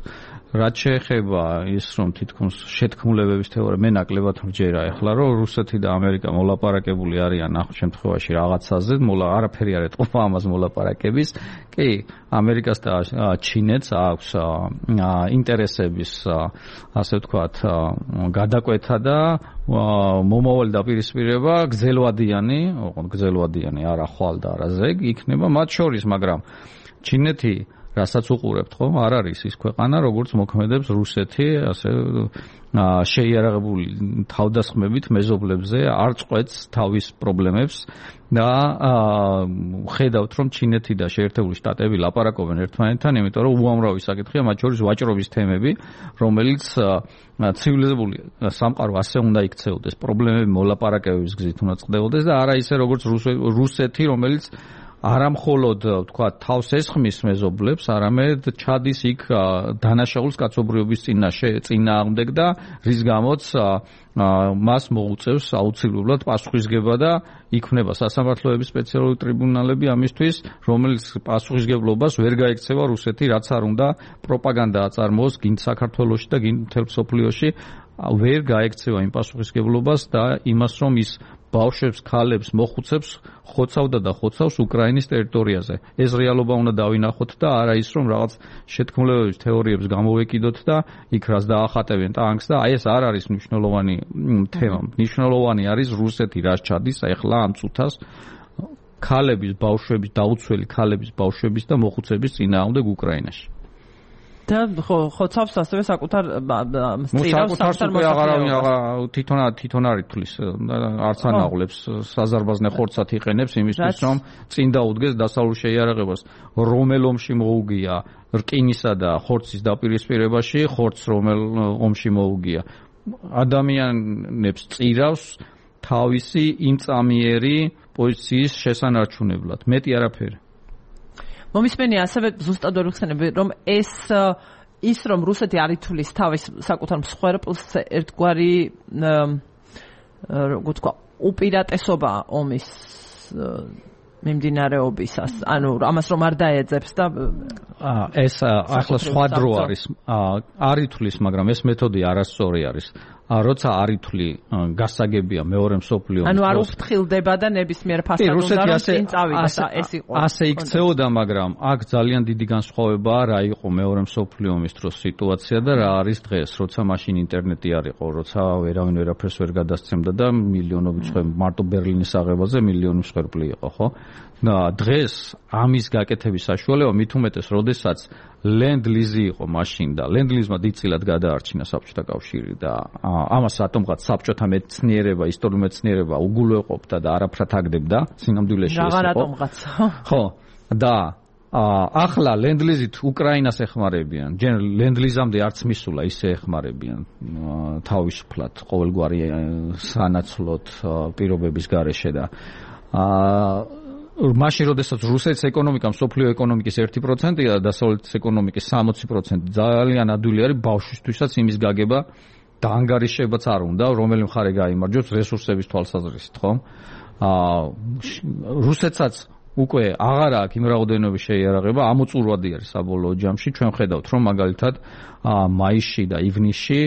რაც შეეხება ის რომ თითქოს შეთქმულებების თეორია მე ნაკლებად მჯერა ეხლა რომ რუსეთი და ამერიკა მოლაპარაკებული არიან ახალ შემთხვევაში რაღაცაზე მოლა არაფერი არ ეთყობა ამას მოლაპარაკების კი ამერიკას და ჩინეთს აქვს ინტერესების ასე ვთქვათ გადაკვეთა და მომავალი დაპირისპირება გრძელვადიანი ოღონდ გრძელვადიანი არა ხვალ და არა ზეგ იქნება მათ შორის მაგრამ ჩინეთი რასაც უყურებთ ხო არ არის ის ქვეყანა როგორც მოქმედებს რუსეთი ასე შეიარაღებული თავდასხმებით მეზობლებზე არ წყვეტს თავის პრობლემებს და ხედავთ რომ ჩინეთი და შეერთებული შტატები ლაპარაკობენ ერთმანეთთან იმიტომ რომ უამრავი საკითხია მათ შორის ვაჭრობის თემები რომელიც ცივილიზებული სამყარო ასე უნდა იქცეოდეს პრობლემები მოლაპარაკებების გზით უნდა წყდებოდეს და არა ისე როგორც რუსეთი რომელიც არა მხოლოდ თქვა თავს ესხმის მეზობლებს, არამედ ჩადის იქ დანაშაულს კაცობრიობის წინაშე წინააღმდეგ და რის გამოც მას მოუწევს აუცილებლად პასუხისგება და იქმნება სასამართლოების სპეციალური ტრიბუნალები ამისთვის, რომელიც პასუხისგებლობას ვერ გაექცევა რუსეთი, რაც არ უნდა პროპაგანდა აწარმოოს გინ საქართველოში და გინ მთელ მსოფლიოში ვერ გაექცევა იმ პასუხისგებლობას და იმას რომ ის ბავშვებს, ქალებს, მოხუცებს ხოცავდა და ხოცავს უკრაინის ტერიტორიაზე. ეს რეალობა უნდა დავინახოთ და არა ის რომ რაღაც შეთქმულებების თეორიებს გამოვეკიდოთ და იქ რას დაახატებენ ტანკს და აი ეს არ არის მნიშვნელოვანი თემა. მნიშვნელოვანი არის რუსეთი რაც ჩადის ახლა ამ წუთას ქალების, ბავშვების, დაუცველი ქალების, ბავშვების და მოხუცების წინააღმდეგ უკრაინაში. და ხო ხოცავს ასევე საკუთარ სწირავს საკუთარ აღარავინ თვითონ თვითონ არ ითulis არც ანაღლებს საზარბაზნე ხორცად იყენებს იმისთვის რომ წინ დაუდგეს დასავლურ შეიარაღებას რომელ ომში მოუგია რკინისა და ხორცის დაპირისპირებაში ხორცს რომელ ომში მოუგია ადამიანებს წირავს თავისი იმწამიერი პოზიციის შესანარჩუნებლად მეტი არაფერი მომისმენია ასევე ზუსტად ვერ ვხსენები რომ ეს ის რომ რუსეთი არ ითulis თავის საკუთარ მსხვერპლს ერთგვარი როგორ თქვა უპირატესობა ომის მიმდინარეობისას ანუ ამას რომ არ დაეძებს და ეს ახლა სხვა დრო არის არ ითulis მაგრამ ეს მეთოდი არასწორი არის როცა არ ითვლი გასაგებია მეორე მსოფლიო ომის ანუ არ უფრთხილდება და ნებისმიერ ფასად უნდა რომ წინ წავიდა ეს იყო ასე იქცეოდა მაგრამ აქ ძალიან დიდი განსხვავებაა რა იყო მეორე მსოფლიო ომის დროს სიტუაცია და რა არის დღეს როცა მაშინ ინტერნეტი არ იყო როცა ვერავინ ვერაფერს ვერ გადასცემდა და მილიონობით მსხვერპლი მარტო ბერლინის აღებაზე მილიონი მსხვერპლი იყო ხო და დღეს ამის გაკეთების საშუალება მით უმეტეს როდესაც ლენდ-ლიზი იყო მაშინ და ლენდ-ლიზმა დიდწილად გადაარჩინა საბჭოთა კავშირი და ამას რატომღაც საბჭოთა მეცნიერება, ისტორიული მეცნიერება უგულვეყოფდა და არაფრად აგდებდა სინამდვილეში ეს იყო. რა რატომღაც? ხო, და ახლა ლენდლიზით უკრაინას ეხმარებიან. ჯერ ლენდლიზამდე არც მისულა ისე ეხმარებიან თავისუფლად ყოველგვარი სანაცვლოდ პირობების გარეშე და მაშინ როდესაც რუსეთის ეკონომიკა მსოფლიო ეკონომიკის ერთი პროცენტია და დასავლეთის ეკონომიკის სამოცი პროცენტი ძალიან ადვილი არის ბავშვისთვისაც იმის გაგება და ანგარიშებაც არ უნდა, რომელი მხარე გაიმარჯვებს რესურსების თვალსაზრისით, ხო? აა რუსეთსაც უკვე აღარ აქვს იმ რაოდენობის შეიარაღება, ამოწურვადი არის საბოლოო ჯამში. ჩვენ ხედავთ, რომ მაგალითად მაისში და ივნისში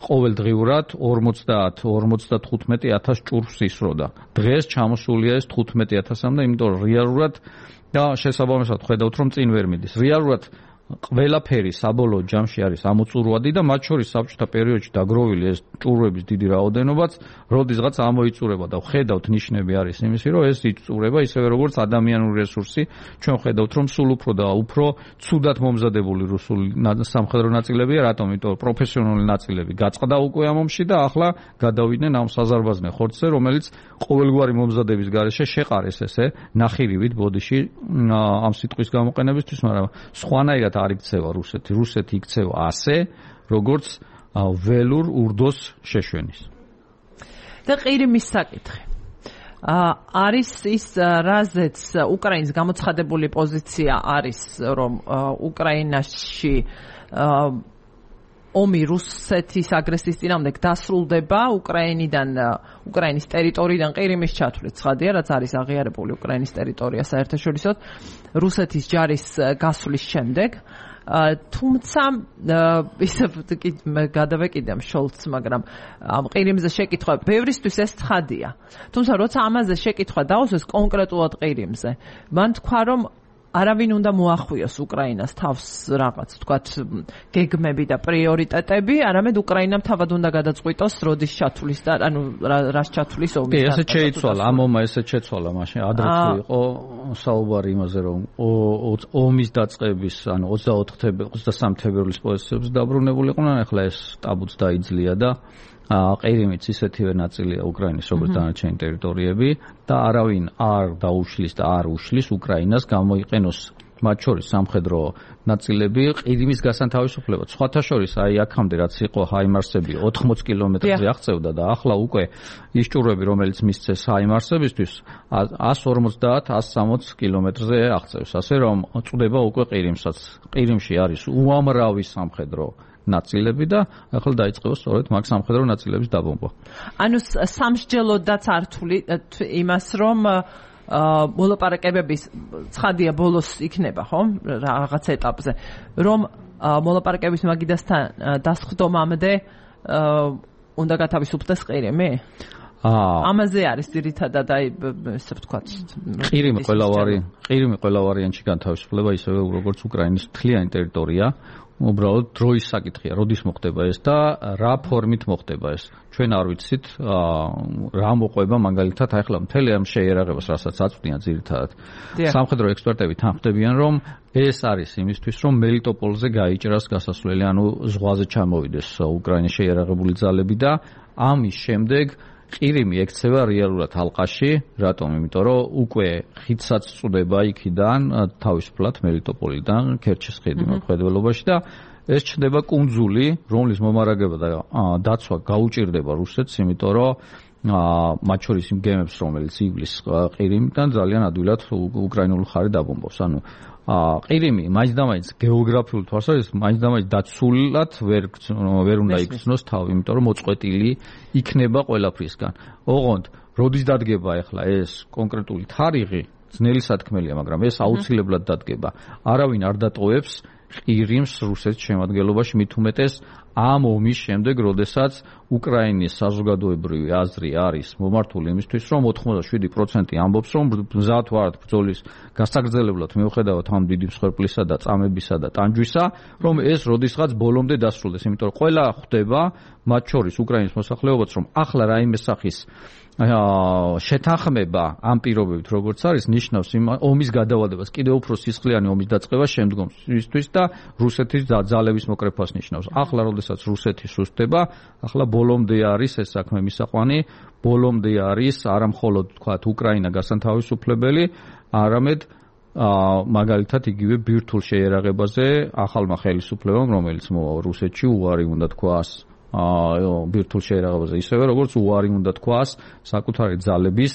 ყოველდღიურად ორმოცდაათ ორმოცდათხუთმეტი ათას ჭურვს ისროდა. დღეს ჩამოსულია ეს თხუთმეტი ათასამდე, იმიტომ რომ რეალურად და შესაბამისად ხედავთ, რომ წინ ვერ მიდის. რეალურად ყველაფერი საბოლოო ჯამში არის ამოწურვადი და მათ შორის საბჭოთა პერიოდში დაგროვილი ეს ჭურვების დიდი რაოდენობაც როდისღაც ამოიწურება და ხედავთ ნიშნები არის იმისი, რომ ეს იწურება ისევე როგორც ადამიანური რესურსი. ჩვენ ხედავთ, რომ სულ უფრო და უფრო ცუდად მომზადებული რუსული სამხედრო ნაწილებია, რატომ? იმიტომ რომ პროფესიონალი ნაწილები გაწყდა უკვე ამ ომში და ახლა გადავიდნენ ამ საზარბაზნე ხორცზე, რომელიც ყოველგვარი მომზადების გარეშე შეყარეს ესე ნახირივით ბოდიში ამ სიტყვის გამოყენებისთვის, მაგრამ სხვანაირად არ იქცევა რუსეთი. რუსეთი იქცევა ასე, როგორც ველურ ურდოს შეშვენის. და ყირიმის საკითხი. არის ის რაზეც უკრაინის გამოცხადებული პოზიცია არის, რომ უკრაინაში ომი რუსეთის აგრესიის წინააღმდეგ დასრულდება უკრაინიდან უკრაინის ტერიტორიიდან ყირიმის ჩათვლით. ცხადია, რაც არის აღიარებული უკრაინის ტერიტორია საერთაშორისოდ რუსეთის ჯარის გასვლის შემდეგ. თუმცა ისე გადავეკიდამ შოლცს, მაგრამ ამ ყირიმზე შეკითხვა ბევრისთვის ეს ცხადია. თუმცა როცა ამაზე შეკითხვა დაუსვეს კონკრეტულად ყირიმზე, მან თქვა, რომ არავინ უნდა მოახვიოს უკრაინას თავს რაღაც, თქვათ, გეგმები და პრიორიტეტები, არამედ უკრაინამ თავად უნდა გადაწყვიტოს როდის ჩათვლის და ანუ რას ჩათვლის ომის. კი, ესეც შეიცვალა, ამ ომმა ესეც შეცვალა, მაშინ ადრეც იყო საუბარი იმაზე, რომ ომის დაწყების, ანუ ოცდასამი თებერვლის პოზიციებს დაბრუნებულიყვნენ, ახლა ეს ტაბუც დაიძლია და ყირიმიც ისეთივე ნაწილია უკრაინის, როგორც დანარჩენი ტერიტორიები და არავინ არ დაუშლის და არ უშლის უკრაინას გამოიყენოს მათ შორის სამხედრო ნაწილები ყირიმის გასანთავისუფლებლად. სხვათა შორის აი აქამდე რაც იყო ჰაიმარსები ოთხმოცი კილომეტრზე აღწევდა და ახლა უკვე ის ჭურვები, რომელიც მისცეს ჰაიმარსებისთვის ას ორმოცდაათ ას სამოცი კილომეტრზე აღწევს. ასე რომ წვდება უკვე ყირიმსაც. ყირიმში არის უამრავი სამხედრო ნაწილები და ახლა დაიწყება სწორედ მაგ სამხედრო ნაწილების დაბომბვა. ანუ სამსჯელოდაც არ თვლი იმას, რომ მოლაპარაკებების ცხადია ბოლოს იქნება, ხო? რაღაც ეტაპზე, რომ მოლაპარაკების მაგიდასთან დასხდომამდე უნდა გათავისუფლდეს ყირიმი? ამაზე არის ძირითადად აი ესე ვთქვათ. ყირიმი ყველავარი, ყირიმი ყველა ვარიანტში განთავისუფლება ისევე როგორც უკრაინის მთლიანი ტერიტორია. უბრალოდ დროის საკითხია, როდის მოხდება ეს და რა ფორმით მოხდება ეს. ჩვენ არ ვიცით რა მოყვება მაგალითად ახლა მთელი ამ შეიარაღებას, რასაც აწვდიან ძირითადად. სამხედრო ექსპერტები თანხმდებიან, რომ ეს არის იმისთვის, რომ მელიტოპოლზე გაიჭრას გასასვლელი, ანუ ზღვაზე ჩამოვიდეს უკრაინის შეიარაღებული ძალები და ამის შემდეგ ყირიმი ექცევა რეალურად ალყაში. რატომ? იმიტომ რომ უკვე ხიდსაც წვდება იქიდან თავისუფლად მელიტოპოლიდან ქერჩის ხიდი მოქმედებაში და ეს ჩნდება კუნძული, რომლის მომარაგება და დაცვა გაუჭირდება რუსეთს, იმიტომ რომ მათ შორის იმ გემებს, რომელიც ივლის ყირიმიდან ძალიან ადვილად უკრაინული მხარე დაბომბავს. ანუ ყირიმი მაინც-დამაინც გეოგრაფიული თვალსაზრისით მაინც-დამაინც დაცულად ვერ ვერ უნდა იქცნოს თავი, იმიტომ რომ მოწყვეტილი იქნება ყველაფრისგან. ოღონდ როდის დადგება ახლა ეს კონკრეტული თარიღი, ძნელი სათქმელია, მაგრამ ეს აუცილებლად დადგება. არავინ არ დატოვებს ყირიმს რუსეთის შემადგენლობაში, მით უმეტეს ამ ომის შემდეგ, როდესაც უკრაინის საზოგადოებრივი აზრი არის მომართული იმისთვის, რომ ოთხმოცდაშვიდი პროცენტი ამბობს, რომ მზად ვართ ბრძოლის გასაგრძელებლად მიუხედავად ამ დიდი მსხვერპლისა და წამებისა და ტანჯვისა, რომ ეს როდისღაც ბოლომდე დასრულდეს, იმიტომ რომ ყველა ხვდება, მათ შორის უკრაინის მოსახლეობაც, რომ ახლა რაიმე სახის შეთანხმება ამ პირობებით როგორც არის ნიშნავს იმ ომის გადავალებას, კიდევ უფრო სისხლიანი ომის დაწყებას შემდგომისთვის და რუსეთის ძალების მოკრეფას ნიშნავს. ახლა როდესაც რუსეთი სუსტდება, ახლა ბოლომდე არის ეს საქმე მისაყვანი, ბოლომდე არის არა მხოლოდ თქვათ უკრაინა გასანთავისუფლებელი, არამედ მაგალითად იგივე ბირთვულ შეიარაღებაზე ახალმა ხელისუფლებამ, რომელიც რუსეთში უარი უნდა თქვას ბირთვულ შეიარაღებაზე, ისევე როგორც უარი უნდა თქვას საკუთარი ძალების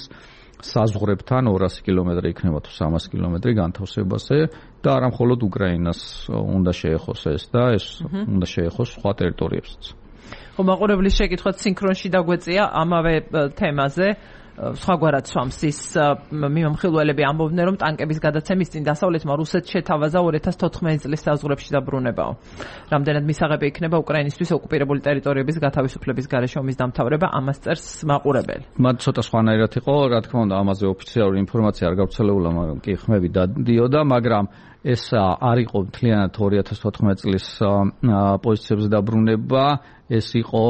საზღვრებთან ორასი კილომეტრი იქნება თუ სამასი კილომეტრი განთავსებაზე და არა მხოლოდ უკრაინას უნდა შეეხოს ეს და ეს უნდა შეეხოს სხვა ტერიტორიებსაც. ხო, მაყურებლის შეკითხვაც სინქრონში დაგვეწია ამავე თემაზე. სხვაგვარად swams ის მიმომხილველები ამბობდნენ, რომ ტანკების გადაცემის წინ დასავლეთმა რუსეთს შეთავაზა ორი ათას თოთხმეტი წლის საზღვრებში დაბრუნებაო. რამდენად მისაღები იქნება უკრაინისთვის ოკუპირებული ტერიტორიების გათავისუფლების გარეშე ომის დამთავრება, ამას წერს მაყურებელი. მათ ცოტა სხვანაირად იყო, რა თქმა უნდა, ამაზე ოფიციალური ინფორმაცია არ გავრცელებულა, მაგრამ კი ხმები დადიოდა, მაგრამ ეს არ იყო მთლიანად ორი ათას თოთხმეტი წლის პოზიციებზე დაბრუნება, ეს იყო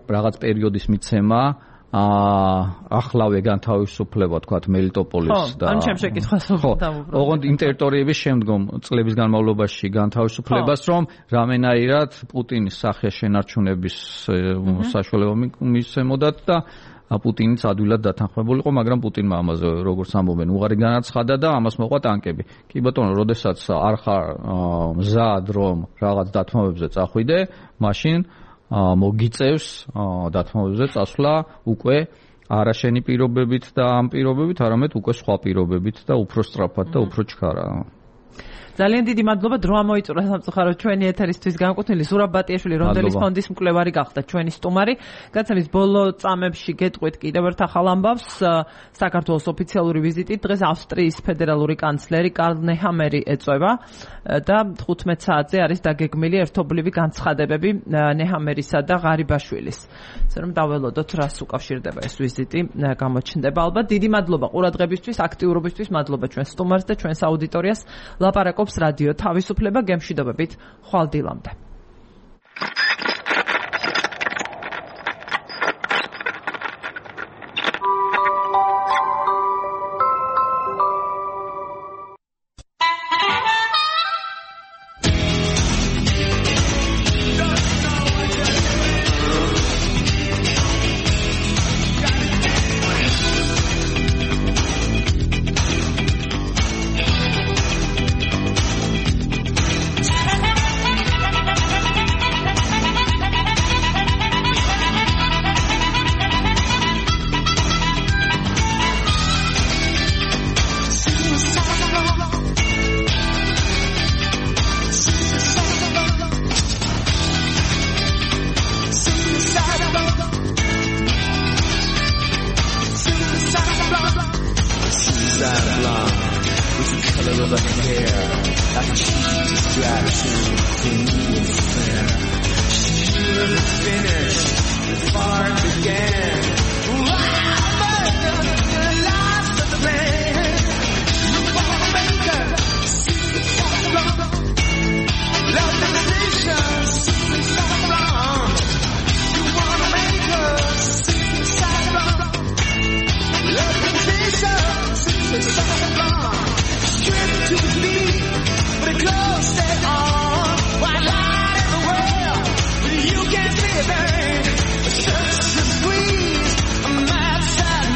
რაღაც პერიოდის მიცემა. ახლავე განთავისუფლება თქვათ მელიტოპოლის და ან ჩემს შეკითხვას დავუბრუნდეთ. ოღონდ იმ ტერიტორიების შემდგომ წლების განმავლობაში განთავისუფლებას, რომ რამენაირად პუტინის სახე შენარჩუნების საშუალება მისცემოდათ და პუტინიც ადვილად დათანხმებულიყო, მაგრამ პუტინმა ამაზე როგორც ამბობენ, უღარი განაცხადა და ამას მოყვა ტანკები. კი ბატონო, როდესაც არ ხარ მზად რომ რაღაც დათმობებზე წახვიდე, მაშინ მოგიწევს დათმობებზე წასვლა უკვე არა შენი პირობებით და ამ პირობებით, არამედ უკვე სხვა პირობებით და უფრო სწრაფად და უფრო ჩქარა. ძალიან დიდი მადლობა, დრო ამოიწურა სამწუხაროდ ჩვენი ეთერისთვის განკუთვნილი ზურაბ ბატიაშვილი, რონდელის ფონდის მკვლევარი გახდა ჩვენი სტუმარი. გაცემის ბოლო წამებში გეტყვით კიდევ ერთ ახალ ამბავს. საქართველოს ოფიციალური ვიზიტით დღეს ავსტრიის ფედერალური კანცლერი კარლ ნეჰამერი ეწვევა და თხუთმეტ საათზე არის დაგეგმილი ერთობლივი განცხადებები ნეჰამერისა და ღარიბაშვილის. ასე რომ დაველოდოთ, რას უკავშირდება ეს ვიზიტი, გამოჩნდება ალბათ. დიდი მადლობა ყურადღებისთვის, აქტიურობისთვის, მადლობა ჩვენ სტუმარს და ჩვენს აუდიტორიას. ლაპარაკობს რადიო თავისუფლება, გემშვიდობებით, ხვალ დილამდე.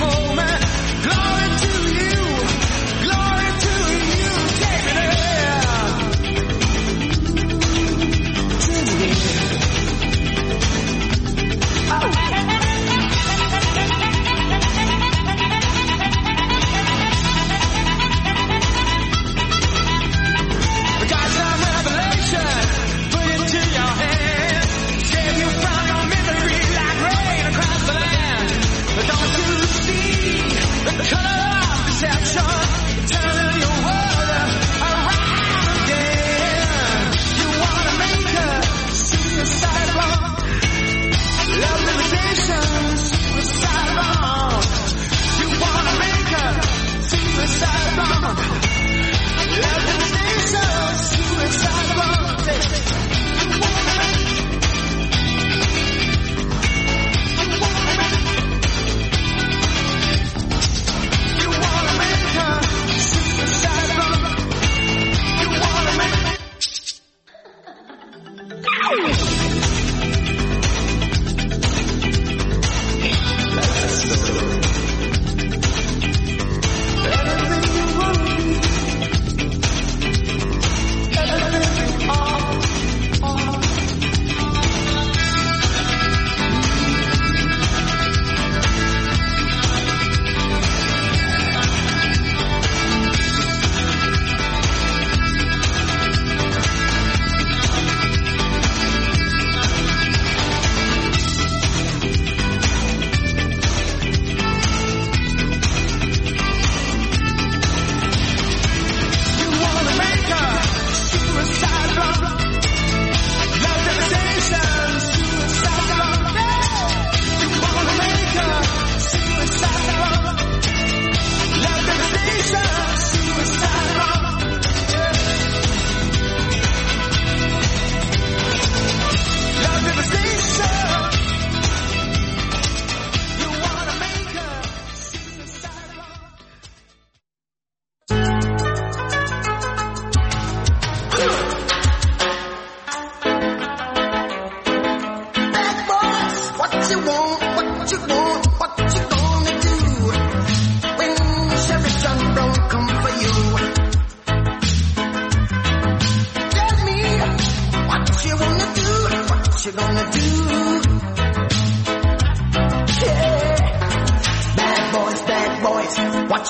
Moment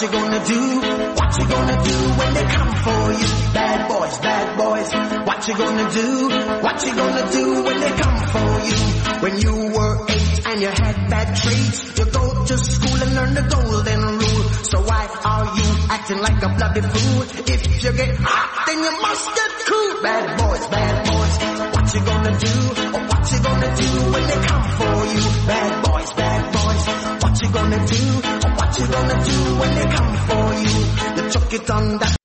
you gonna do? What you gonna do when they come for you? Bad boys, bad boys. What you gonna do? What you gonna do when they come for you? When you were eight and you had bad traits, you go to school and learn the golden rule. So why are you acting like a bloody fool? If you get hot, then you must get cool. Bad boys, bad boys. What you gonna do? Or what you gonna do when they come for you? Bad boys, bad boys. What you gonna do? Or what you gonna do when they come for you? You took it on that